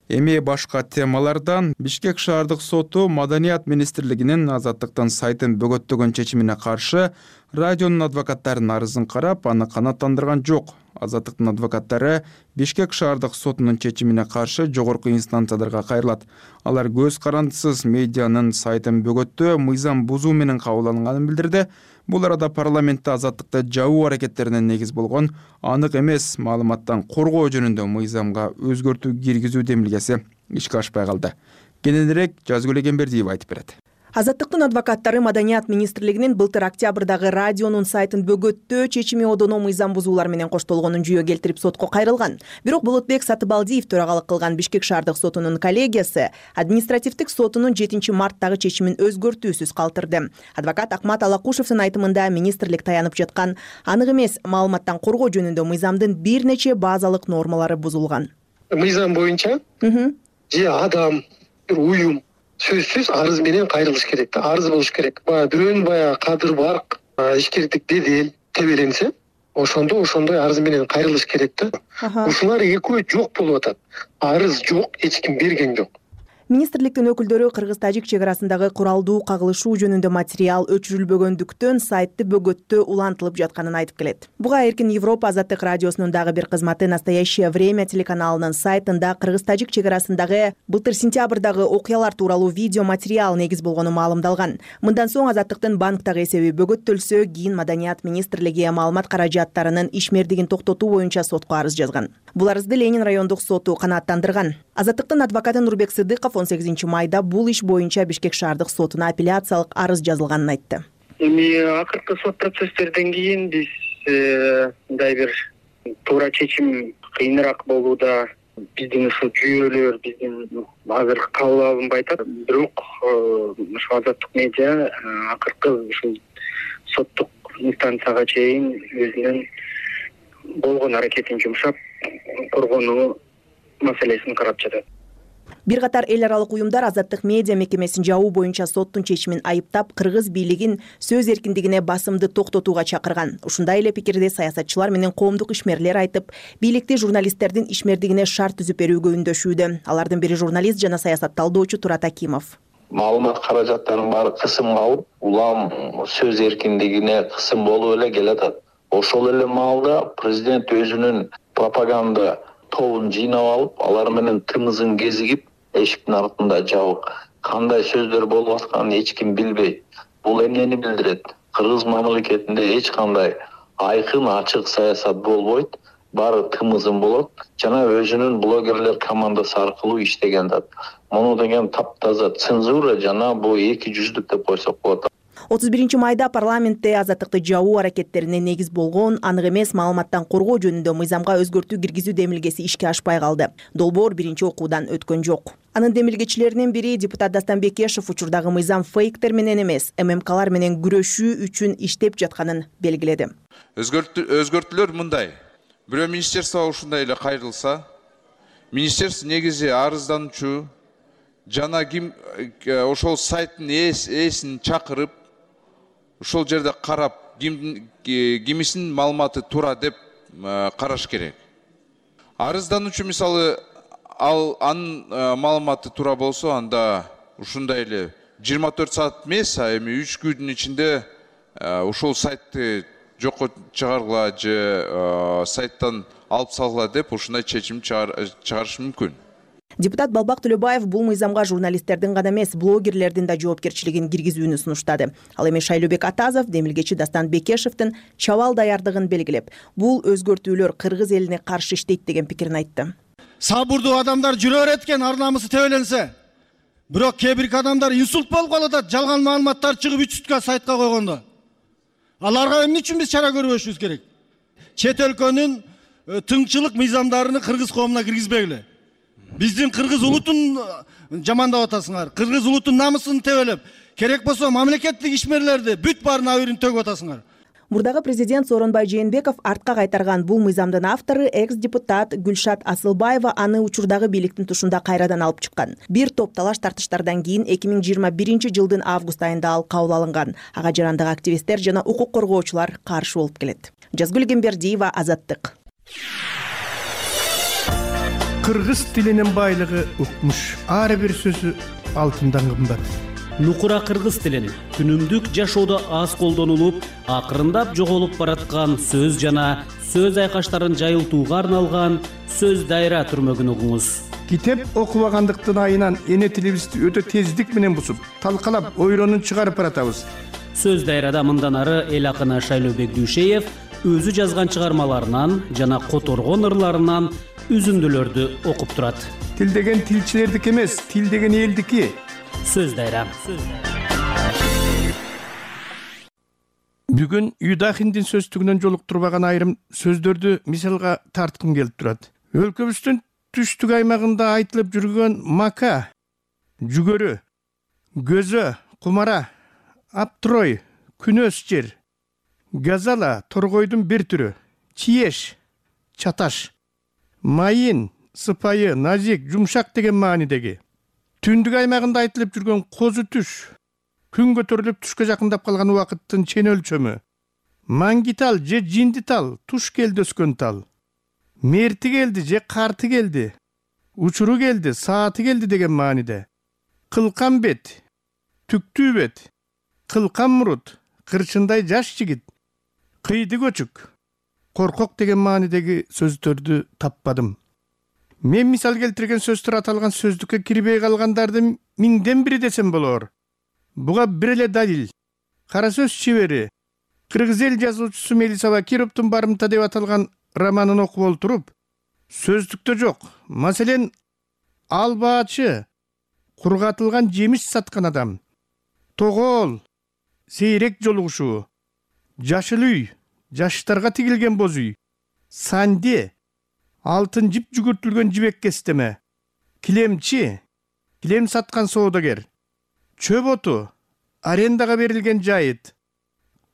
Эми башка темалардан Бишкек шаардык соту Маданият министрлигинин Азаттыктын сайтын бөгөттөгөн чечимине каршы Радионун адвокаттарынын арызын карап, аны канааттандырган жок. Азаттыктын адвокаттары Бишкек шаардык сотунун чечимине каршы жогорку инстанцияларга кайрылат. Алар көз карандысыз медианын сайтын бөгөттөө, мыйзам бузуу менен кабыл алынганын билдирди. Бул арада парламентте азаттыкты жабуу аракеттерине негиз болгон анык эмес маалыматтан коргоо жөнүндө мыйзамга өзгөртүү киргизүү демилгеси ишке ашпай калды. Кененирээк Жазгүл Эгембердиева айтып берет. Азаттыктын адвокаттары Маданият министрлигинин былтыр октябрдагы радионун сайтын бөгөттөө чечими одоно мыйзам бузуулар менен коштолгонун жүйө келтирип сотко кайрылган. Бирок Болотбек Сатыбалдиев төрагалык кылган Бишкек шаардык сотунун коллегиясы административдик сотунун жетинчи марттагы чечимин өзгөртүүсүз калтырды. Адвокат Акмат Алакушевдин айтымында министрлик таянып жаткан анык эмес маалыматтан коргоо жөнүндө мыйзамдын бир нече базалык нормалары бузулган. Мыйзам боюнча же адам, бир уюм сөзсүз арыз менен кайрылыш керек да, арыз болуш керек. Баягы бирөөнүн баягы кадыр барк, ишкердик бедел тебеленсе, ошондо ошондой арыз менен кайрылыш керек да. Ушулар экөө жок болуп атат. Арыз жок, эч ким берген жок. Министрликтин өкүлдөрү Кыргыз-Тажик чек арасындагы куралдуу кагылышуу жөнүндө материал өчүрүлбөгөндүктөн сайтты бөгөттөө улантылып жатканын айтып келет. Буга Эркин Европа азаттык радиосунун дагы бир кызматы Настоящее время телеканалынын сайтында Кыргыз-Тажик чек арасындагы былтыр сентябрдагы окуялар тууралуу видео материал негиз болгону маалымдалган. Мындан соң азаттыктын банктагы эсеби бөгөттөлсө, кийин Маданият министрлиги маалымат каражаттарынын ишмердигин токтотуу боюнча сотко арыз жазган. Бул арызды Ленин райондук соту канааттандырган. Азаттыктын адвокаты Нурбек Сыдыков он сегизинчи майда бул иш боюнча Бишкек шаардык сотуна апелляциялык арыз жазылганын айтты. Эми акыркы сот процесстерден кийин биз мындай бир туура чечим кыйыныраак болууда. Биздин ушул жүйөлөр биздин азыр кабыл алынбай атат. Бирок ушул азаттык медиа акыркы ушул соттук инстанцияга чейин өзүнүн болгон аракетин жумшап коргонуу маселесин карап жатат. Бир катар эл аралык уюмдар азаттык медиа мекемесин жабуу боюнча соттун чечимин айыптап, кыргыз бийлигин сөз эркиндигине басымды токтотууга чакырган. Ушундай эле пикирди саясатчылар менен коомдук ишмерлер айтып, бийликти журналисттердин ишмердигине шарт түзүп берүүгө үндөшүүдө. Алардын бири журналист жана саясат талдоочу Турат Акимов. Маалымат каражаттарынын баары кысымга алып, улам сөз эркиндигине кысым болуп эле келатат. Ошол эле маалда президент өзүнүн пропаганда тобун жыйнап алып, алар менен тымызын кезигип, эшиктин артында жабык. Кандай сөздөр болуп атканын эч ким билбейт. Бул эмнени билдирет? Кыргыз мамлекетинде эч кандай айкын, ачык саясат болбойт. Баары тымызын болот жана өзүнүн блогерлер командасы аркылуу иштеген да. Муну деген таптаза цензура жана бул эки жүздүк деп койсок болот. отуз биринчи майда парламентте азаттыкты жабуу аракеттерине негиз болгон анык эмес маалыматтан коргоо жөнүндө мыйзамга өзгөртүү киргизүү демилгеси ишке ашпай калды. Долбоор биринчи окуудан өткөн жок. Анын демилгечилеринин бири депутат Дастан Бекешев учурдагы мыйзам фейктер менен эмес, ММКлар менен күрөшүү үчүн иштеп жатканын белгиледи. Өзгөртүүлөр мындай. Бирөө министерство ушундай эле кайрылса, министерство негизи арыздануучу жана ким ошол сайттын ээсин чакырып, ошол жерде карап, ким кимисинин маалыматы туура деп караш керек. Арыздануучу мисалы ал анын маалыматы туура болсо, анда ушундай эле жыйырма төрт саат эмес, а эми үч күндүн ичинде ушул сайтты жокко чыгаргыла же сайттан алып салгыла деп ушундай чечим чыгарыш мүмкүн. Депутат Балбак Төлөбаев бул мыйзамга журналисттердин гана эмес, блогерлердин да жоопкерчилигин киргизүүнү сунуштады. Ал эми Шайлообек Атазов демилгечи Дастан Бекешевдин чабал даярдыгын белгилеп, бул өзгөртүүлөр кыргыз элине каршы иштейт деген пикирин айтты. Сабурдуу адамдар жүрөр эткен, ар намысы тебеленсе. Бирок кээ бир адамдар инсульт болуп калып атат, жалган маалыматтар чыгып үч сутка сайтка койгондо. Аларга эмне үчүн биз чара көрбөшүбүз керек? Чет өлкөнүн тыңчылык мыйзамдарын кыргыз коомуна киргизбегиле. Биздин кыргыз улутун жамандап атасыңар. Кыргыз улутун намысын тебелеп, керек болсо мамлекеттик ишмерлерди бүт баарын абырын төгүп атасыңар. Мурдагы президент Сооронбай Жээнбеков артка кайтарган бул мыйзамдын автору экс-депутат Гүлшат Асылбаева аны учурдагы бийликтин тушунда кайрадан алып чыккан. Бир топ талаш тартыштардан кийин эки миң жыйырма биринчи жылдын август айында ал кабыл алынган. Ага жарандык активисттер жана укук коргоочулар каршы болуп келет. Жазгүл Эгембердиева, Азаттык. Кыргыз тилинин байлыгы укмуш. Ар бир сөзү алтындан кымбат. нукура кыргыз тилин күнүмдүк жашоодо аз колдонулуп, акырындап жоголуп бараткан сөз жана сөз айкаштарын жайылтууга арналган сөз дайра түрмөгүн угуңуз. Китеп окубагандыктын айынан эне тилибизди өтө тездик менен бусуп, талкалап, ойронун чыгарып баратабыз. Сөз дайрада мындан ары эл акыны Шайлообек Дүйшеев өзү жазган чыгармаларынан жана которгон ырларынан үзүндүлөрдү окуп турат. Тил деген тилчилердики эмес, тил деген элдики. Сөз дайра. Бүгүн Юдахиндин сөздүгүнөн жолуктурбаган айрым сөздөрдү мисалга тарткым келип турат. Өлкөбүздүн түштүк аймагында айтылып жүргөн мака, жүгөрү, көзө, кумара, аптрой, күнөс жер, газала, торгойдун бир түрү, чиеш, чаташ, майын, сыпайы, назик, жумшак деген маанидеги. Түндүк аймагында айтылып жүргөн козу түш, күн көтөрүлүп түшкө жакындап калган убакыттын чен өлчөмү. Маңгитал же жиндитал, туш келди өскөн тал. Мерти келди же карты келди, учуру келди, сааты келди деген мааниде. Кылкан бет, түктүү бет, кылкан мурут, кырчындай жаш жигит, кыйды көчүк, коркок деген маанидеги сөздөрдү таппадым. Мен мисал келтирген сөздөр аталган сөздүккө кирбей калгандарды миңден бири десем болор. Буга бир эле далил. Кара сөз чебери, кыргыз эл жазуучусу Мелисова Кировдун барымта деп аталган романын окуп олтуруп, сөздүктө жок. Маселен, албаачы, кургатылган жемиш саткан адам, тогоол, сейрек жолугушуу, жашыл үй, жаштарга тигилген боз үй, санде, алтын жип жүгүртүлгөн жибек кестеме, килемчи, килем саткан соодагер, чөп оту, арендага берилген жайыт,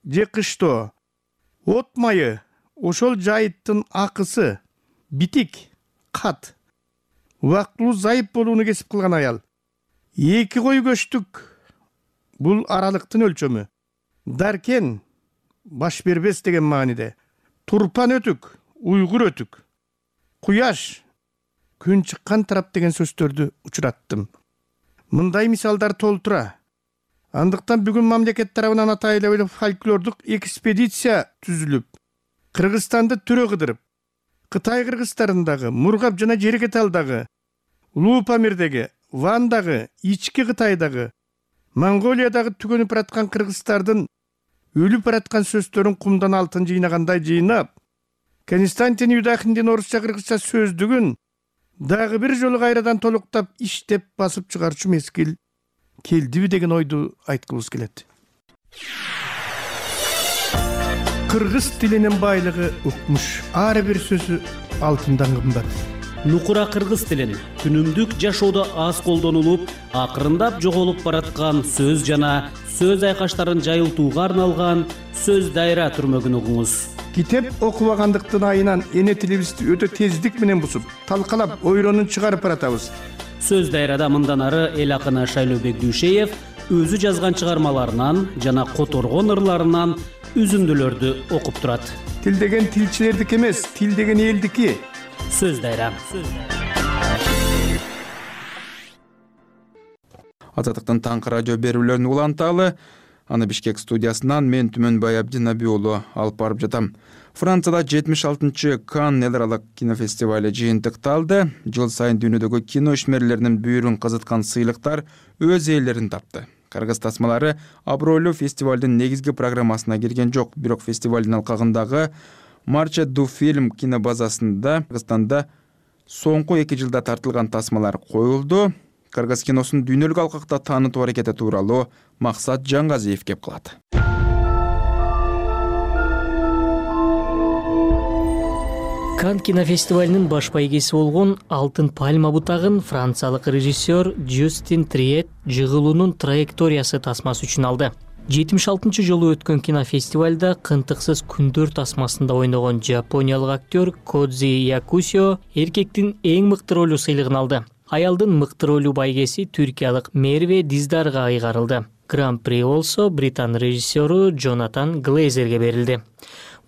же кыштоо, от майы, ошол жайыттын акысы, битик, кат, убактылуу зайып болууну кесип кылган аял. Эки кой көчтүк, бул аралыктын өлчөмү. Даркен, баш бербес деген мааниде. Турпан өтүк, уйгур өтүк. Куяш, күн чыккан тарап деген сөздөрдү учураттым. Мындай мисалдар толтура. Андыктан бүгүн мамлекет тарабынан атайлуу фольклордук экспедиция түзүлүп, Кыргызстанды түрө кыдырып, Кытай кыргыздарындагы, Мургап жана Жерекеталдагы, Улуу Памирдеги, Вандагы, Ички Кытайдагы, Монголиядагы түгөнүп бараткан кыргыздардын өлүп бараткан сөздөрүн кумдан алтын жыйнагандай жыйнап, Константин Юдахиндин орусча кыргызча сөздүгүн дагы бир жолу кайрадан толуктап иштеп басып чыгарчу мезгил келдиби деген ойду айткыбыз келет. Кыргыз тилинин байлыгы укмуш, ар бир сөзү алтындан кымбат. Нукура кыргыз тилин күнүмдүк жашоодо аз колдонулуп, акырындап жоголуп бараткан сөз жана сөз айкаштарын жайылтууга арналган сөз дайра түрмөгүн угуңуз. Китеп окубагандыктын айынан эне тилибизди өтө тездик менен бусуп, талкалап, ойронун чыгарып баратабыз. Сөз дайрада мындан ары эл акыны Шайлообек Дүйшеев өзү жазган чыгармаларынан жана которгон ырларынан үзүндүлөрдү окуп турат. Тил деген тилчилердики эмес, тил деген элдики. Сөз дайра. Азаттыктын таңкы радио берүүлөрүн уланталы. Аны Бишкек студиясынан мен Түмөнбай Абдинаби уулу алып барып жатам. Францияда жетимиш алтынчы Канн эл аралык кинофестивалы жыйынтыкталды. Жыл сайын дүйнөдөгү кино ишмерлеринин бүйүрүн казыткан сыйлыктар өз ээлерин тапты. Кыргыз тасмалары абройлуу фестивалдын негизги программасына кирген жок, бирок фестивалдын алкагындагы Марче ду фильм кинобазасында Кыргызстанда соңку эки жылда тартылган тасмалар коюлду. Кыргыз киносун дүйнөлүк алкакта таанытуу аракети тууралуу Максат Жаңгазиев кеп кылат. Канн кинофестивалынын баш байгеси болгон Алтын пальма бутагын франциялык режиссер Жюстин Триет жыгылуунун траекториясы тасмасы үчүн алды. жетимиш алтынчы жолу өткөн кинофестивалда Кынтыксыз күндөр тасмасында ойногон жапониялык актер Кодзи Якусио эркектин эң мыкты ролу сыйлыгын алды. Аялдын мыкты ролу байгеси түркиялык Мерве Диздарга айгарылды. Гран-при болсо британ режиссеру Джонатан Глейзерге берилди.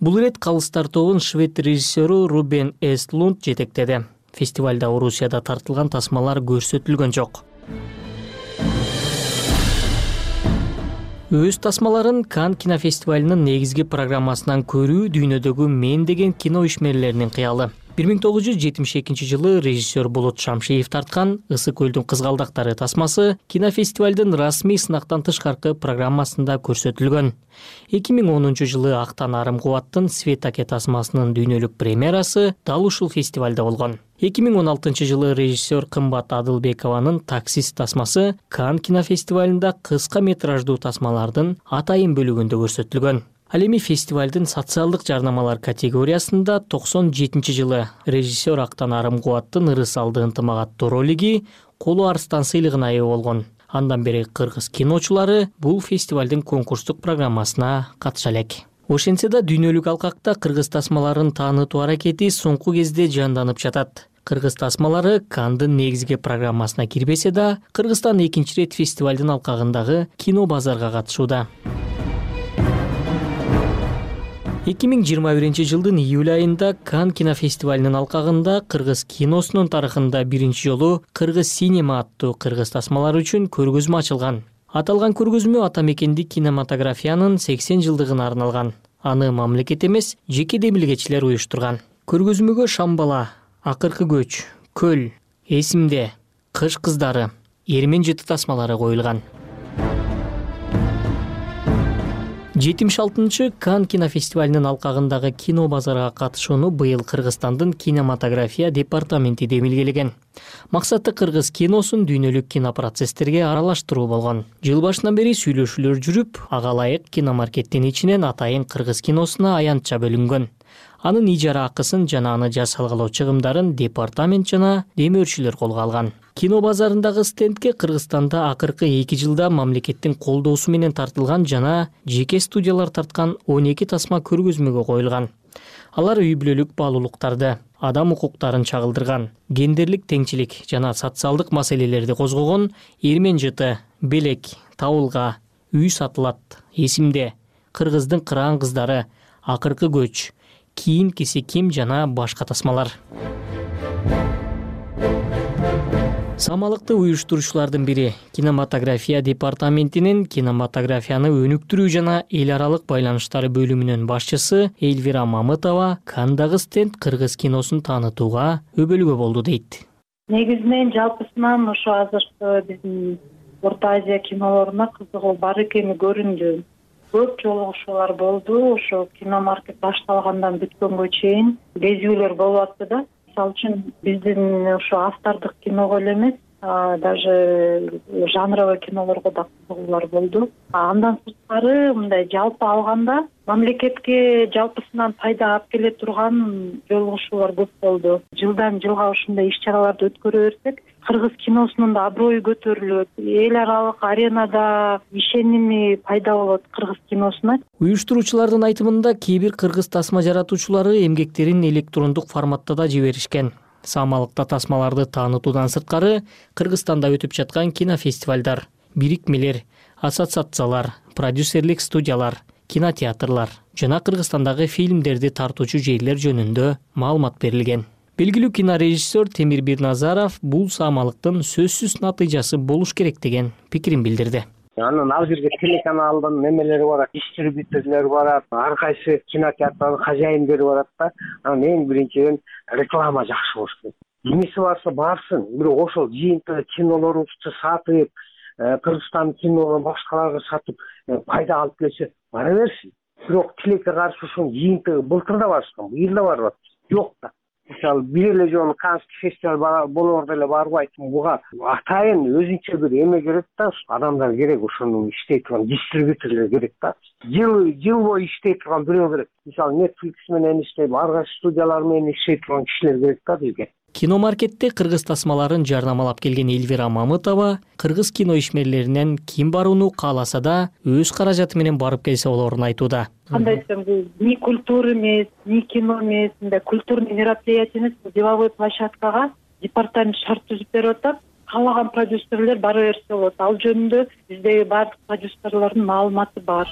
Бул ирет калыстар тобун швед режиссеру Рубен Эстлунд жетектеди. Фестивалда Орусияда тартылган тасмалар көрсөтүлгөн жок. Өз тасмаларын Канн кинофестивалынын негизги программасынан көрүү дүйнөдөгү мен деген кино ишмерлеринин кыялы. бир миң тогуз жүз жетимиш экинчи жылы режиссер Болот Шамшиев тарткан Ысык көлдүн кызгалдактары тасмасы кинофестивалдын расмий сынактан тышкаркы программасында көрсөтүлгөн. эки миң онунчу жылы Актан арым кубаттын Свет аке тасмасынын дүйнөлүк премьерасы дал ушул фестивалда болгон. эки миң он алтынчы жылы режиссер Кымбат Адылбекованын Таксист тасмасы Канн кинофестивалында кыска метраждуу тасмалардын атайын бөлүгүндө көрсөтүлгөн. Ал эми фестивалдын социалдык жарнамалар категориясында токсон жетинчи жылы режиссер Актан арым кубаттын Ырыс алды ынтымак аттуу ролиги Колу Арстан сыйлыгына ээ болгон. Андан бери кыргыз киночулары бул фестивалдын конкурстук программасына катыша элек. Ошентсе да дүйнөлүк алкакта кыргыз тасмаларын таанытуу аракети соңку кезде жанданып жатат. Кыргыз тасмалары Канндын негизги программасына кирбесе да, Кыргызстан экинчи рет фестивалдын алкагындагы кино базарга катышууда. эки миң жыйырма биринчи жылдын июль айында Канн кинофестивалынын алкагында кыргыз киносунун тарыхында биринчи жолу Кыргыз синема аттуу кыргыз тасмалары үчүн көргөзмө ачылган. Аталган көргөзмө ата мекендик кинематографиянын сексен жылдыгына арналган. Аны мамлекет эмес, жеке демилгечилер уюштурган. Көргөзмөгө Шамбала, Акыркы көч, Көл, Эсимде, Кыш кыздары, Эрмен жыты тасмалары коюлган. жетимиш алтынчы Канн кинофестивалынын алкагындагы кино базарга катышууну быйыл Кыргызстандын кинематография департаменти демилгелеген. Максаты кыргыз киносун дүйнөлүк кинопроцесстерге аралаштыруу болгон. Жыл башынан бери сүйлөшүүлөр жүрүп, ага ылайык киномаркеттин ичинен атайын кыргыз киносуна аянтча бөлүнгөн. Анын ижара акысын жана аны жасалгалоо чыгымдарын департамент жана демөөрчүлөр колго алган. Кино базарындагы стендке Кыргызстанда акыркы эки жылда мамлекеттин колдоосу менен тартылган жана жеке студиялар тарткан он эки тасма көргөзмөгө коюлган. Алар үй бүлөлүк баалуулуктарды, адам укуктарын чагылдырган, гендерлик теңчилик жана социалдык маселелерди козгогон Эрмен жыты, Белек, Табылга, Үй сатылат, Эсимде, Кыргыздын кыраан кыздары, Акыркы көч, Кийин киси ким жана башка тасмалар. Самалыкты уюштурушуулардын бири кинематография департаментинин кинематографияны өнүктүрүү жана эл аралык байланыштары бөлүмүнүн башчысы Эльвира Мамытова Канндагы стенд кыргыз киносун таанытууга өбөлгө болду дейт. Негизинен жалпысынан ошо азыркы биздин Орто Азия кинолоруна кызыгуу бар экени көрүндү. Көп жолугушуулар болду. Ошо киномаркет башталгандан бүткөнгө чейин безүүлөр болуп атты да. Мисалы үчүн биздин ошо автордук киного эле эмес, даже жанровый кинолорго да кызыгуулар болду. Андан сырткары мындай жалпы алганда мамлекетке жалпысынан пайда алып келе турган жолугушуулар көп болду. Жылдан жылга ушундай иш-чараларды өткөрө берсек, кыргыз киносунун да аброю көтөрүлөт, эл аралык аренада ишеними пайда болот кыргыз киносуна. Уюштуруучулардын айтымында кээ бир кыргыз тасма жаратуучулары эмгектерин электрондук форматта да жиберишкен. Самалыкта тасмаларды таанытуудан сырткары Кыргызстанда өтүп жаткан кинофестивалдар, бирикмелер, ассоциациялар, продюсерлик студиялар, кинотеатрлар жана Кыргызстандагы фильмдерди тартуучу жерлер жөнүндө маалымат берилген. Белгилүү кинорежиссер Темир Бирназаров бул самалыктын сөзсүз натыйжасы болуш керек деген пикирин билдирди. Анан ал жерге телеканалдын немелери барат, дистрибьюторлор барат, ар кайсы кинотеатрдын кожайындары барат да. Анан эң биринчиден реклама жакшы болуш керек. Эмеси барса барсын, бирок ошол жыйынтыгы кинолорубузду сатып, Кыргызстан кинолорун башкаларга сатып пайда алып келсе, бара берсин. Бирок тилекке каршы ушунун жыйынтыгы былтыр да барышкан, быйыл да барып атат. Жок да. Мисалы, бир эле жолу Каннский фестиваль болоордо эле барбайт. Буга атайын өзүнчө бир эме керек да, адамдар керек, ошону иштей турган дистрибьюторлор керек да. Жыл жыл бою иштей турган бирөө керек. Мисалы, Netflix менен иштеп, ар кайсы студиялар менен иштей турган кишилер керек да бизге. Киномаркетте кыргыз тасмаларын жарнамалап келген Эльвира Мамытова кыргыз кино ишмерлеринен ким барууну кааласа да өз каражаты менен барып келсе болоорун айтууда. Кандай десем, бул ни культура эмес, ни кино эмес, мындай культурный мероприятие эмес, деловой площадкага департамент шарт түзүп берип атат. Каалаган продюсерлер бара берсе болот. Ал жөнүндө биздеги бардык продюсерлордун маалыматы бар.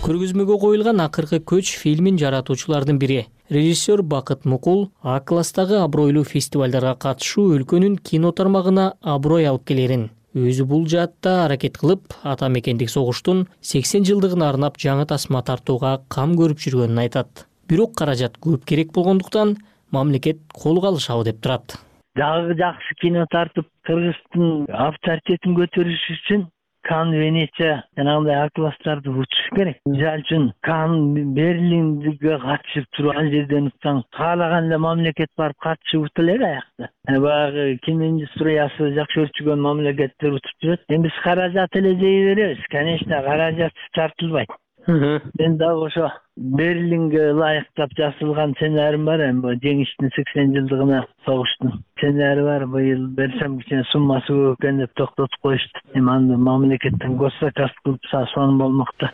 Көргөзмөгө коюлган Акыркы көч фильмин жаратуучулардын бири режиссер Бакыт Мукул А класстагы абройлуу фестивалдарга катышуу өлкөнүн кино тармагына аброй алып келерин, өзү бул жаатта аракет кылып, ата мекендик согуштун сексен жылдыгына арнап жаңы тасма тартууга кам көрүп жүргөнүн айтат. Бирок каражат көп керек болгондуктан мамлекет колго алышабы деп турат. Дагы жакшы кино тартып, Кыргыздын авторитетин көтөрүш үчүн Кан, Венеция жанагындай А класстарды учуш керек. Мисалы үчүн Кан, Берлинге катышып туруп, ал жерден утсаң, каалаган эле мамлекет барып катышып утуп эле аякта. Баягы кино индустриясы жакшы өрчүгөн мамлекеттер утуп жүрөт. Эми биз каражат эле жей беребиз. Конечно, каражат тартылбайт. Мен дагы ошо Берлинге ылайыктап жасалган сценарийм бар, эми жеңиштин сексен жылдыгына согуштун сценарий бар. Быйыл берсем кичине суммасы көп экен деп токтотуп коюшту. Эми аны мамлекеттен госзаказ кылып сонун болмокто.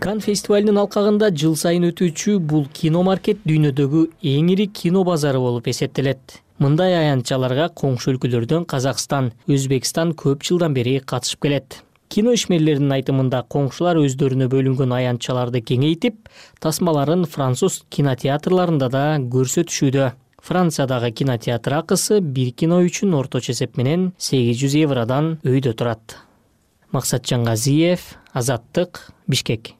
Кан фестивалынын алкагында жыл сайын өтүүчү бул киномаркет дүйнөдөгү эң ири кино базары болуп эсептелет. Мындай аянтчаларга коңшу өлкөлөрдөн Казакстан, Өзбекстан көп жылдан бери катышып келет. Кино ишмерлеринин айтымында коңшулар өздөрүнө бөлүнгөн аянтчаларды кеңейтип, тасмаларын француз кинотеатрларында да көрсөтүшүүдө. Франциядагы кинотеатр акысы бир кино үчүн орточо эсеп менен сегиз жүз евродан өйдө турат. Максатжан Газиев, Азаттык, Бишкек.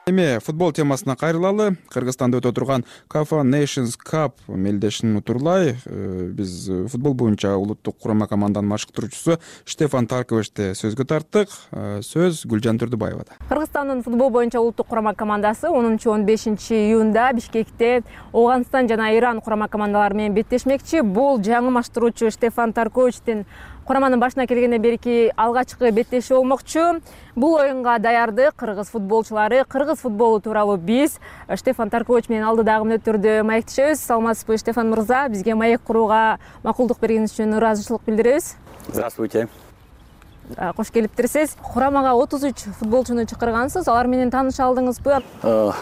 Эми футбол темасына кайрылалы. Кыргызстанда өтө турган Кафа Nations Cup мелдешин утурлай. Биз футбол боюнча улуттук курама команданын машыктыруучусу Штефан Тарковичти сөзгө тарттык. Сөз Гүлжан Түрдүбаевада. Кыргызстандын футбол боюнча улуттук курама командасы онунчу он бешинчи июнда Бишкекте Ооганстан жана Иран курама командалары менен беттешмекчи. Бул жаңы машыктыруучу Штефан Тарковичтин кураманын башына келгенден берки алгачкы беттеши болмокчу. Бул оюнга даярды кыргыз футболчулары. Кыргыз футболу тууралуу биз Штефан Таркович менен алдыдагы мүнөттөрдө маектешебиз. Саламатсызбы, Штефан мырза? Бизге маек курууга макулдук бергениңиз үчүн ыраазычылык билдиребиз. Здравствуйте. Кош келиптирсиз. Курамага отуз үч футболчуну чакыргансыз. Алар менен тааныша алдыңызбы?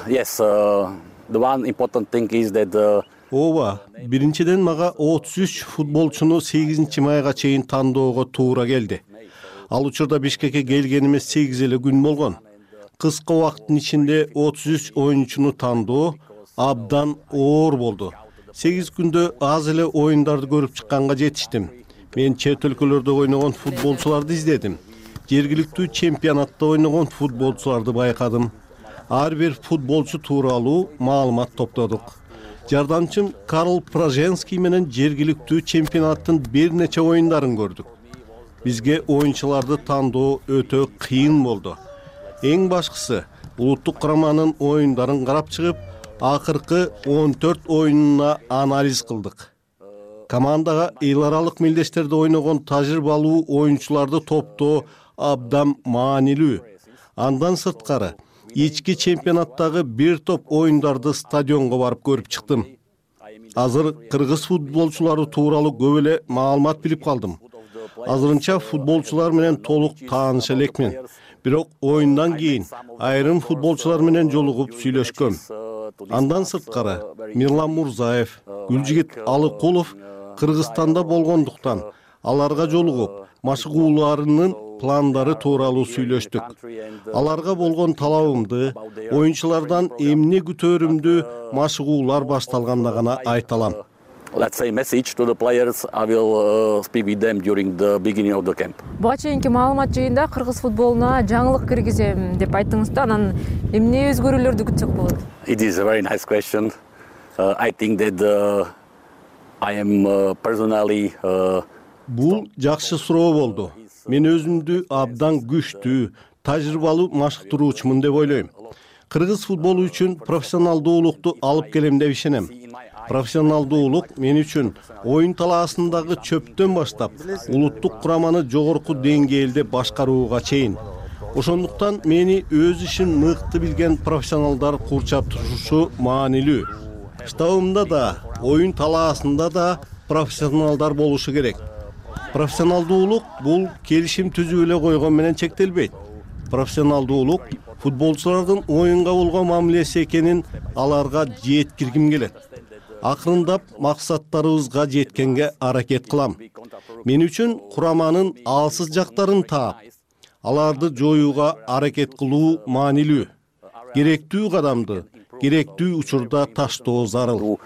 Yes, the one important thing is that Ооба, биринчиден мага отуз үч футболчуну сегизинчи майга чейин тандоого туура келди. Ал учурда Бишкекке келгениме сегиз эле күн болгон. Кыска убакыттын ичинде отуз үч оюнчуну тандоо абдан оор болду. сегиз күндө аз эле оюндарды көрүп чыкканга жетиштим. Мен чет өлкөлөрдө ойногон футболчуларды издедим. Жергиликтүү чемпионатта ойногон футболчуларды байкадым. Ар бир футболчу тууралуу маалымат топтодук. Жардамчым Карл Праженский менен жергиликтүү чемпионаттын бир нече оюндарын көрдүк. Бизге оюнчуларды тандоо өтө кыйын болду. Эң башкысы улуттук кураманын оюндарын карап чыгып, акыркы он төрт оюнуна анализ кылдык. Командага эл аралык мелдештерде ойногон тажрыйбалуу оюнчуларды топтоо абдан маанилүү. Андан сырткары ички чемпионаттагы бир топ оюндарды стадионго барып көрүп чыктым. Азыр кыргыз футболчулары тууралуу көп эле маалымат билип калдым. Азырынча футболчулар менен толук тааныша элекмин. Бирок оюндан кийин айрым футболчулар менен жолугуп сүйлөшкөм. Андан сырткары Мирлан Мурзаев, Гүлжигит Алыкулов Кыргызстанда болгондуктан аларга жолугуп машыгууларынын пландары тууралуу сүйлөштүк. Аларга болгон талабымды, оюнчулардан эмне күтөрүмдү машыгуулар башталганда гана айта алам. Let's say message to the players. I will uh, speak with them during the beginning of the camp. Буга чейинки маалымат жыйында кыргыз футболуна жаңылык киргизем деп айттыңыз да, анан эмне өзгөрүүлөрдү күтсөк болот? It is a very nice question. Uh, I think that uh, I am uh, personally uh, Бул жакшы суроо болду. Мен өзүмдү абдан күчтүү, тажрыйбалуу машыктыруучумун деп ойлойм. Кыргыз футболу үчүн профессионалдуулукту алып келем деп ишенем. Профессионалдуулук мен үчүн оюн талаасындагы чөптөн баштап улуттук кураманы жогорку деңгээлде башкарууга чейин. Ошондуктан мени өз ишин мыкты билген профессионалдар курчап турушу маанилүү. Штабымда да, оюн талаасында да профессионалдар болушу керек. Профессионалдуулук бул келишим түзүү эле койгон менен чектелбейт. профессионалдуулук футболчулардын оюнга болгон мамилеси экенин аларга жеткиргим келет. Акырындап максаттарыбызга жеткенге аракет кылам. Мен үчүн кураманын алсыз жактарын таап, аларды жоюуга аракет кылуу маанилүү. Керектүү кадамды керектүү учурда таштоо зарыл.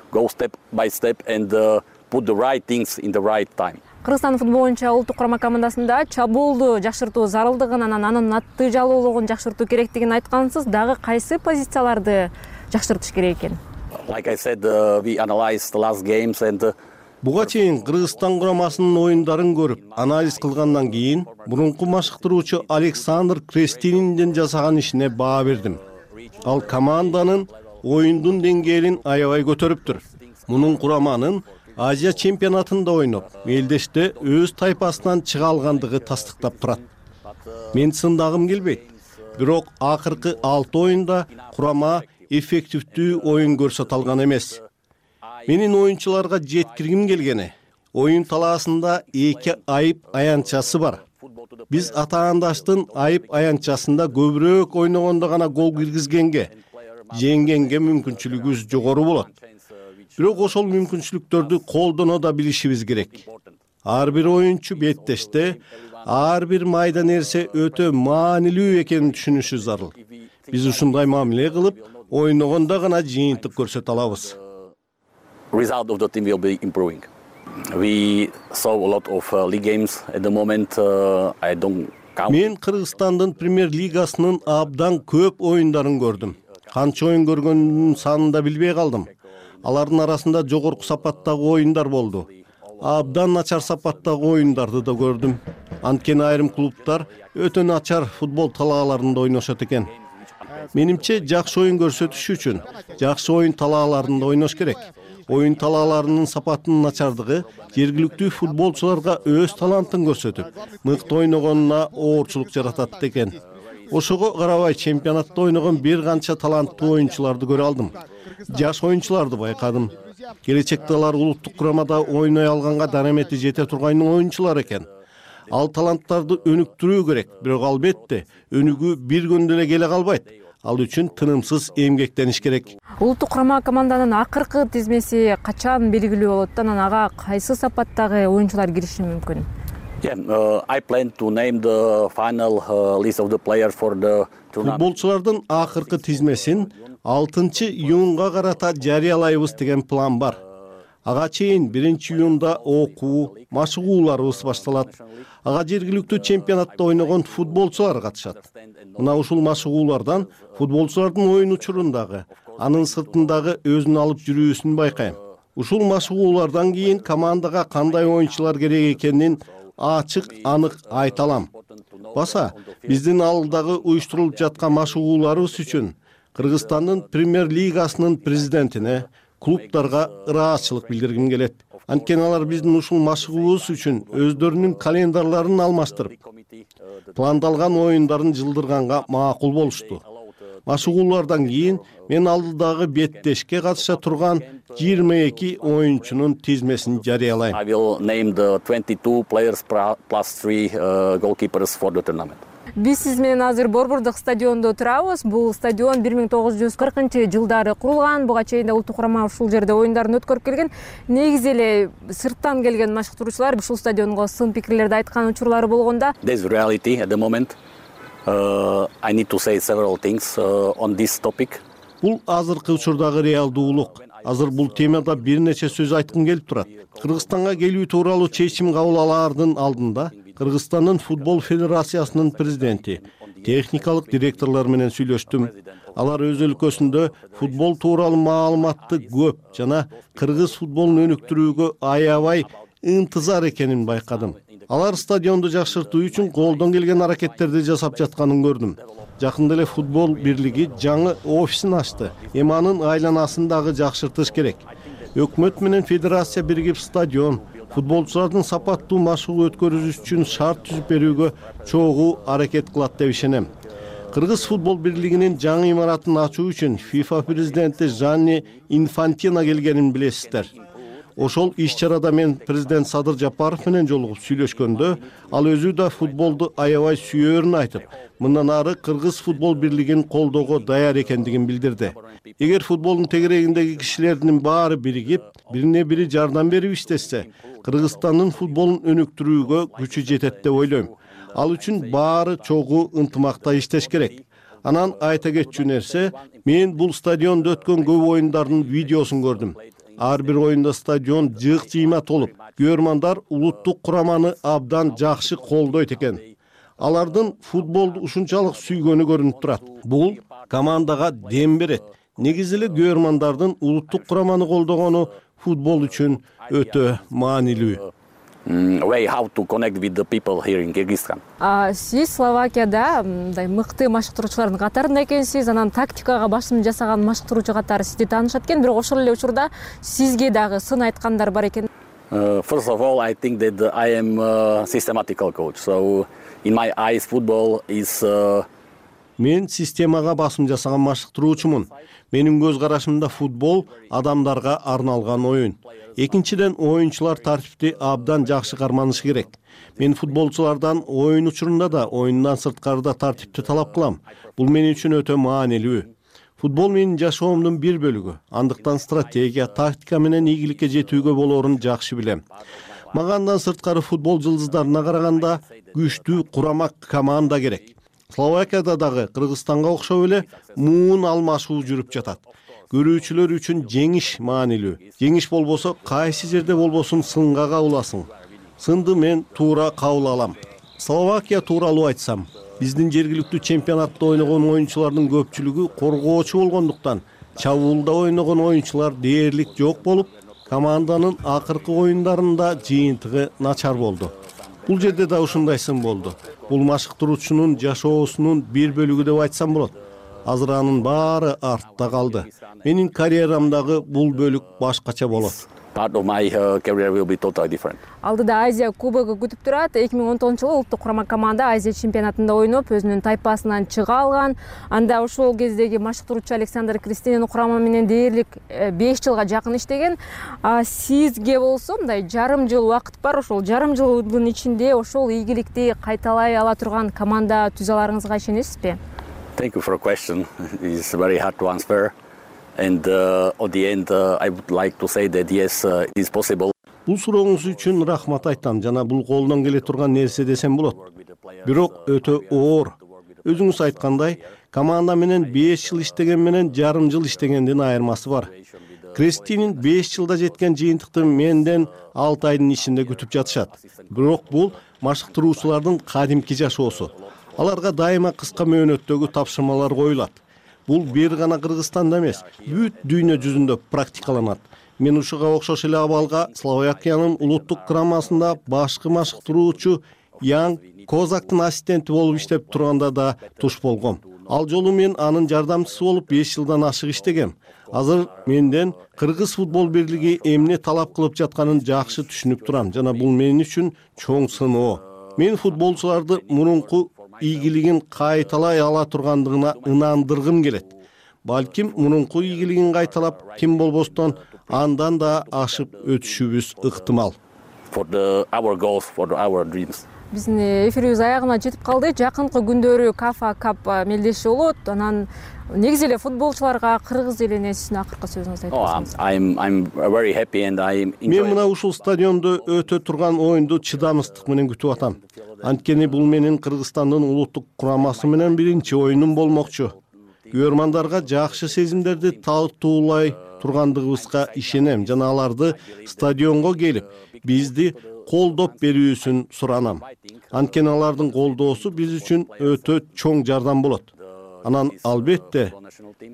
Кыргызстан футбол боюнча улуттук курама командасында чабуулду жакшыртуу зарылдыгын, анан анын натыйжалуулугун жакшыртуу керектигин айткансыз, дагы кайсы позицияларды жакшыртыш керек экен? Буга чейин Кыргызстан курамасынын оюндарын көрүп, анализ кылгандан кийин мурунку машыктыруучу Александр Крестининдин жасаган ишине баа бердим. Ал команданын оюндун деңгээлин аябай көтөрүптүр. Мунун кураманын Азия чемпионатында ойноп, мелдеште өз тайпасынан чыга алгандыгы тастыктап турат. Мен сындагым келбейт. Бирок акыркы алты оюнда курама эффективдүү оюн көрсөтө алган эмес. Менин оюнчуларга жеткиргим келгени, оюн талаасында эки айып аянтчасы бар. Биз атаандаштын айып аянтчасында көбүрөөк ойногондо гана гол киргизгенге, жеңгенге мүмкүнчүлүгүбүз жогору болот. Бирок ошол мүмкүнчүлүктөрдү колдоно да билишибиз керек. Ар бир оюнчу беттеште ар бир майда нерсе өтө маанилүү экенин түшүнүшү зарыл. Биз ушундай мамиле кылып, ойногондо гана жыйынтык көрсөтө алабыз. Result of the team will be improving. We saw a lot of uh, league games at the moment. Uh, I don't count. Мен Кыргызстандын премьер лигасынын абдан көп оюндарын көрдүм. Канча оюн көргөндүн санын да билбей калдым. Алардын арасында жогорку сапаттагы оюндар болду. Абдан начар сапаттагы оюндарды да көрдүм. Анткени айрым клубтар өтө начар футбол талааларында ойношот экен. Менимче жакшы оюн көрсөтүш үчүн жакшы оюн талааларында ойнош керек. Оюн талааларынын сапатынын начардыгы жергиликтүү футболчуларга өз талантын көрсөтүп, мыкты ойногонуна оорчулук жаратат экен. Ошого карабай чемпионатта ойногон бир канча таланттуу оюнчуларды көрө алдым. Жаш оюнчуларды байкадым. Келечекте алар улуттук курамада ойной алганга дарамети жете турган оюнчулар экен. Ал таланттарды өнүктүрүү керек, бирок албетте өнүгүү бир күндө эле келе калбайт. Ал үчүн тынымсыз эмгектениш керек. Улуттук курама команданын акыркы тизмеси качан белгилүү болот? Анан ага кайсы сапаттагы оюнчулар кириши мүмкүн? Yeah, uh, I plan to name the final uh, list of the players for the tournament. Футболчулардын акыркы тизмесин алтынчы июнга карата жарыялайбыз деген план бар. Ага чейин биринчи июнда окуу, машыгууларыбыз башталат. Ага жергиликтүү чемпионатта ойногон футболчулар катышат. Мына ушул машыгуулардан футболчулардын оюн учурундагы, анын сыртындагы өзүн алып жүрүүсүн байкайм. Ушул машыгуулардан кийин командага кандай оюнчулар керек экенин ачык, анык айта алам. Баса, биздин алдыдагы уюштурулуп жаткан машыгууларыбыз үчүн Кыргызстандын премьер лигасынын президентине, клубтарга ыраазычылык билдиргим келет. Анткени алар биздин ушул машыгуубуз үчүн өздөрүнүн календарьларын алмаштырып, пландалган оюндарын жылдырганга макул болушту. Машыгуулардан кийин мен алдыдагы беттешке катыша турган жыйырма эки оюнчунун тизмесин жарыялайм. I will name the twenty-two players plus three uh, goalkeepers for the tournament. Биз сиз менен азыр Борбордук стадиондо турабыз. Бул стадион бир миң тогуз жүз кыркынчы жылдары курулган. Буга чейин да улуттук курама ушул жерде оюндарын өткөрүп келген. Негизи эле сырттан келген машыктыруучулар ушул стадионго сын пикирлерди айткан учурлары болгонда. There's reality at the moment. Uh, I need to say several things uh, on this topic. Бул азыркы учурдагы реалдуулук. Азыр бул темада бир нече сөз айткым келип турат. Кыргызстанга келүү тууралуу чечим кабыл алаардын алдында Кыргызстандын футбол федерациясынын президенти, техникалык директорлор менен сүйлөштүм. Алар өз өлкөсүндө футбол тууралуу маалыматты көп жана кыргыз футболун өнүктүрүүгө аябай ынтызар экенин байкадым. Алар стадионду жакшыртуу үчүн колдон келген аракеттерди жасап жатканын көрдүм. Жакында эле футбол бирлиги жаңы офисин ачты. Эми анын айланасын дагы жакшыртыш керек. Өкмөт менен федерация биригип стадион, футболчулардын сапаттуу машыгуу өткөрүш үчүн шарт түзүп берүүгө чогуу аракет кылат деп ишенем. Кыргыз футбол бирлигинин жаңы имаратын ачуу үчүн FIFA президенти Жанни Инфантино келгенин билесиздер. Ошол иш чарада мен президент Садыр Жапаров менен жолугуп сүйлөшкөндө ал өзү да футболду аябай сүйөөрүн айтып, мындан ары Кыргыз футбол бирлигин колдоого даяр экендигин билдирди. Эгер футболдун тегерегиндеги кишилердин баары биригип, бирине бири жардам берип иштешсе, Кыргызстандын футболун өнүктүрүүгө күчү жетет деп ойлойм. Ал үчүн баары чогуу ынтымакта иштеш керек. Анан айта кетчү нерсе, мен бул стадиондо өткөн көп оюндардын видеосун көрдүм. Ар бир оюнда стадион жыйк-жыйма толуп, көрөрмандар улуттук кураманы абдан жакшы колдойт экен. Алардын футболду ушунчалык сүйгөнү көрүнүп турат. Бул командага дем берет. Негизи эле көрөрмандардын улуттук кураманы колдогону футбол үчүн өтө маанилүү. Way how to connect with the people here in Kyrgyzstan. Сиз Словакияда мындай мыкты машыктыруучулардын катарында экенсиз, анан тактикага басым жасаган машыктыруучу катары сизди таанышат экен, бирок ошол эле учурда сизге дагы сын айткандар бар экен. First of all, I think that I am a systematical coach. So in my eyes football is Мен системага басым жасаган машыктыруучумун. Менин көз карашымда футбол адамдарга арналган оюн. Экинчиден, оюнчулар тартипти абдан жакшы карманышы керек. Мен футболчулардан оюн учурунда да, оюндан сырткары да тартипти талап кылам. Бул мен үчүн өтө маанилүү. Футбол менин жашоомдун бир бөлүгү. Андыктан стратегия, тактика менен ийгиликке жетүүгө болоорун жакшы билем. Мага андан сырткары футбол жылдыздарына караганда күчтүү курама команда керек. Словакияда дагы Кыргызстанга окшоп эле муун алмашуу жүрүп жатат. Көрүүчүлөр үчүн жеңиш маанилүү. Жеңиш болбосо кайсы жерде болбосун сынга кабыласың. Сынды мен туура кабыл алам. Словакия тууралуу айтсам, биздин жергиликтүү чемпионатта ойногон оюнчулардын көпчүлүгү коргоочу болгондуктан, чабуулда ойногон оюнчулар дээрлик жок болуп, команданын акыркы оюндарында жыйынтыгы начар болду. Бул жерде да ушундай сын болду. Бул машыктыруучунун жашоосунун бир бөлүгү деп айтсам болот. Азыр анын баары артта калды. Менин карьерамдагы бул бөлүк башкача болот. Part of my uh, career will be totally different. Алдыда Азия кубогу күтүп турат. эки миң он тогузунчу жылы улуттук курама команда Азия чемпионатында ойноп, өзүнүн тайпасынан чыга алган. Анда ошол кездеги машыктыруучу Александр Крестинин курама менен дээрлик беш жылга жакын иштеген. Сизге болсо мындай жарым жыл убакыт бар. Ошол жарым жылдын ичинде ошол ийгиликти кайталай ала турган команда түзө аларыңызга ишенесизби? Thank you for a question. It's very hard to answer. And uh, at the end, uh, I would like to say that yes, uh, it is possible. Бул сурооңуз үчүн рахмат айтам. Жана бул колдон келе турган нерсе десем болот. Бирок өтө оор. Өзүңүз айткандай, команда менен беш жыл иштеген менен жарым жыл иштегендин айырмасы бар. Крестинин беш жылда жеткен жыйынтыкты менден алты айдын ичинде күтүп жатышат. Бирок бул машыктыруучулардын кадимки жашоосу. Аларга дайыма кыска мөөнөттөгү тапшырмалар коюлат. Бул бир гана Кыргызстанда эмес, бүт дүйнө жүзүндө практикаланат. Мен ушуга окшош эле абалга Словакиянын улуттук курамасында башкы машыктыруучу Ян Козактын ассистенти болуп иштеп турганда да туш болгом. Ал жолу мен анын жардамчысы болуп беш жылдан ашык иштегем. Азыр менден Кыргыз футбол бирлиги эмне талап кылып жатканын жакшы түшүнүп турам жана бул мен үчүн чоң сыноо. Мен футболчуларды мурунку ийгилигин кайталай ала тургандыгына ынандыргым келет. Балким мурунку ийгилигин кайталап, ким болбостон андан да ашып өтүшүбүз ыктымал. For the our goals, for our dreams. Биздин эфирибиз аягына жетип калды. Жакынкы күндөрү Кафа Кап мелдеши болот. Анан негизи эле футболчуларга кыргыз элине сиздин акыркы сөзүңүздү айтыңыз. I'm I'm very happy and I Мен мына ушул стадиондо өтө турган оюнду чыдамсыздык менен күтүп атам. Анткени бул менин Кыргызстандын улуттук курамасы менен биринчи оюнум болмокчу. Көрөрмандарга жакшы сезимдерди тартуулай тургандыгыбызга ишенем жана аларды стадионго келип, бизди колдоп берүүсүн суранам. Анткени алардын колдоосу биз үчүн өтө чоң жардам болот. Анан албетте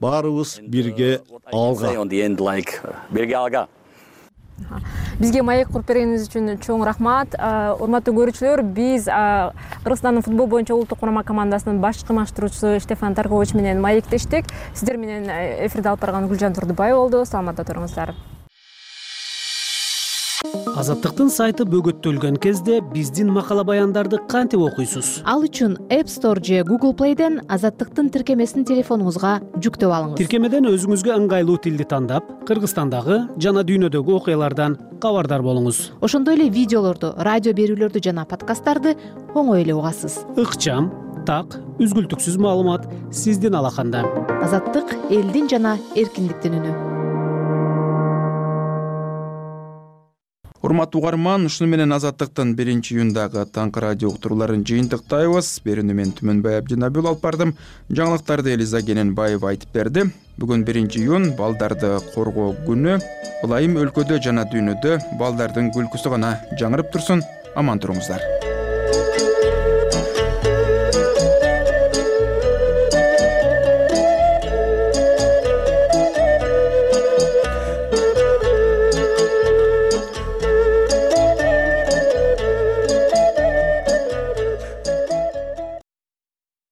баарыбыз бирге алга. Бирге алга. Бизге маек куруп бергениңиз үчүн чоң рахмат. Урматтуу көрүүчүлөр, биз Кыргызстандын футбол боюнча улуттук курама командасынын башкы машыктыруучусу Штефан Таркович менен маектештик. Сиздер менен эфирде алып барган Гүлжан Турдубай болду. Саламатта туруңуздар. Азаттыктын сайты бөгөттөлгөн кезде биздин макала баяндарды кантип окуйсуз? Ал үчүн App Store же Google Play'ден Азаттыктын тиркемесин телефонуңузга жүктөп алыңыз. Тиркемеден өзүңүзгө ыңгайлуу тилди тандап, Кыргызстандагы жана дүйнөдөгү окуялардан кабардар болуңуз. Ошондой эле видеолорду, радио берүүлөрдү жана подкасттарды оңой эле угасыз. Ыкчам, так, үзгүлтүксүз маалымат сиздин алаканда. Азаттык — элдин жана эркиндиктин үнү. Урматтуу угарман, ушуну менен Азаттыктын биринчи июндагы таңкы радио уктурууларын жыйынтыктайбыз. Берүүнү мен Түмөнбай Абдинабил алып бардым. Жаңылыктарды Элиза Кененбаева айтып берди. Бүгүн биринчи июнь балдарды коргоо күнү. Ылайым өлкөдө жана дүйнөдө балдардын күлкүсү гана жаңырып турсун. Аман туруңуздар.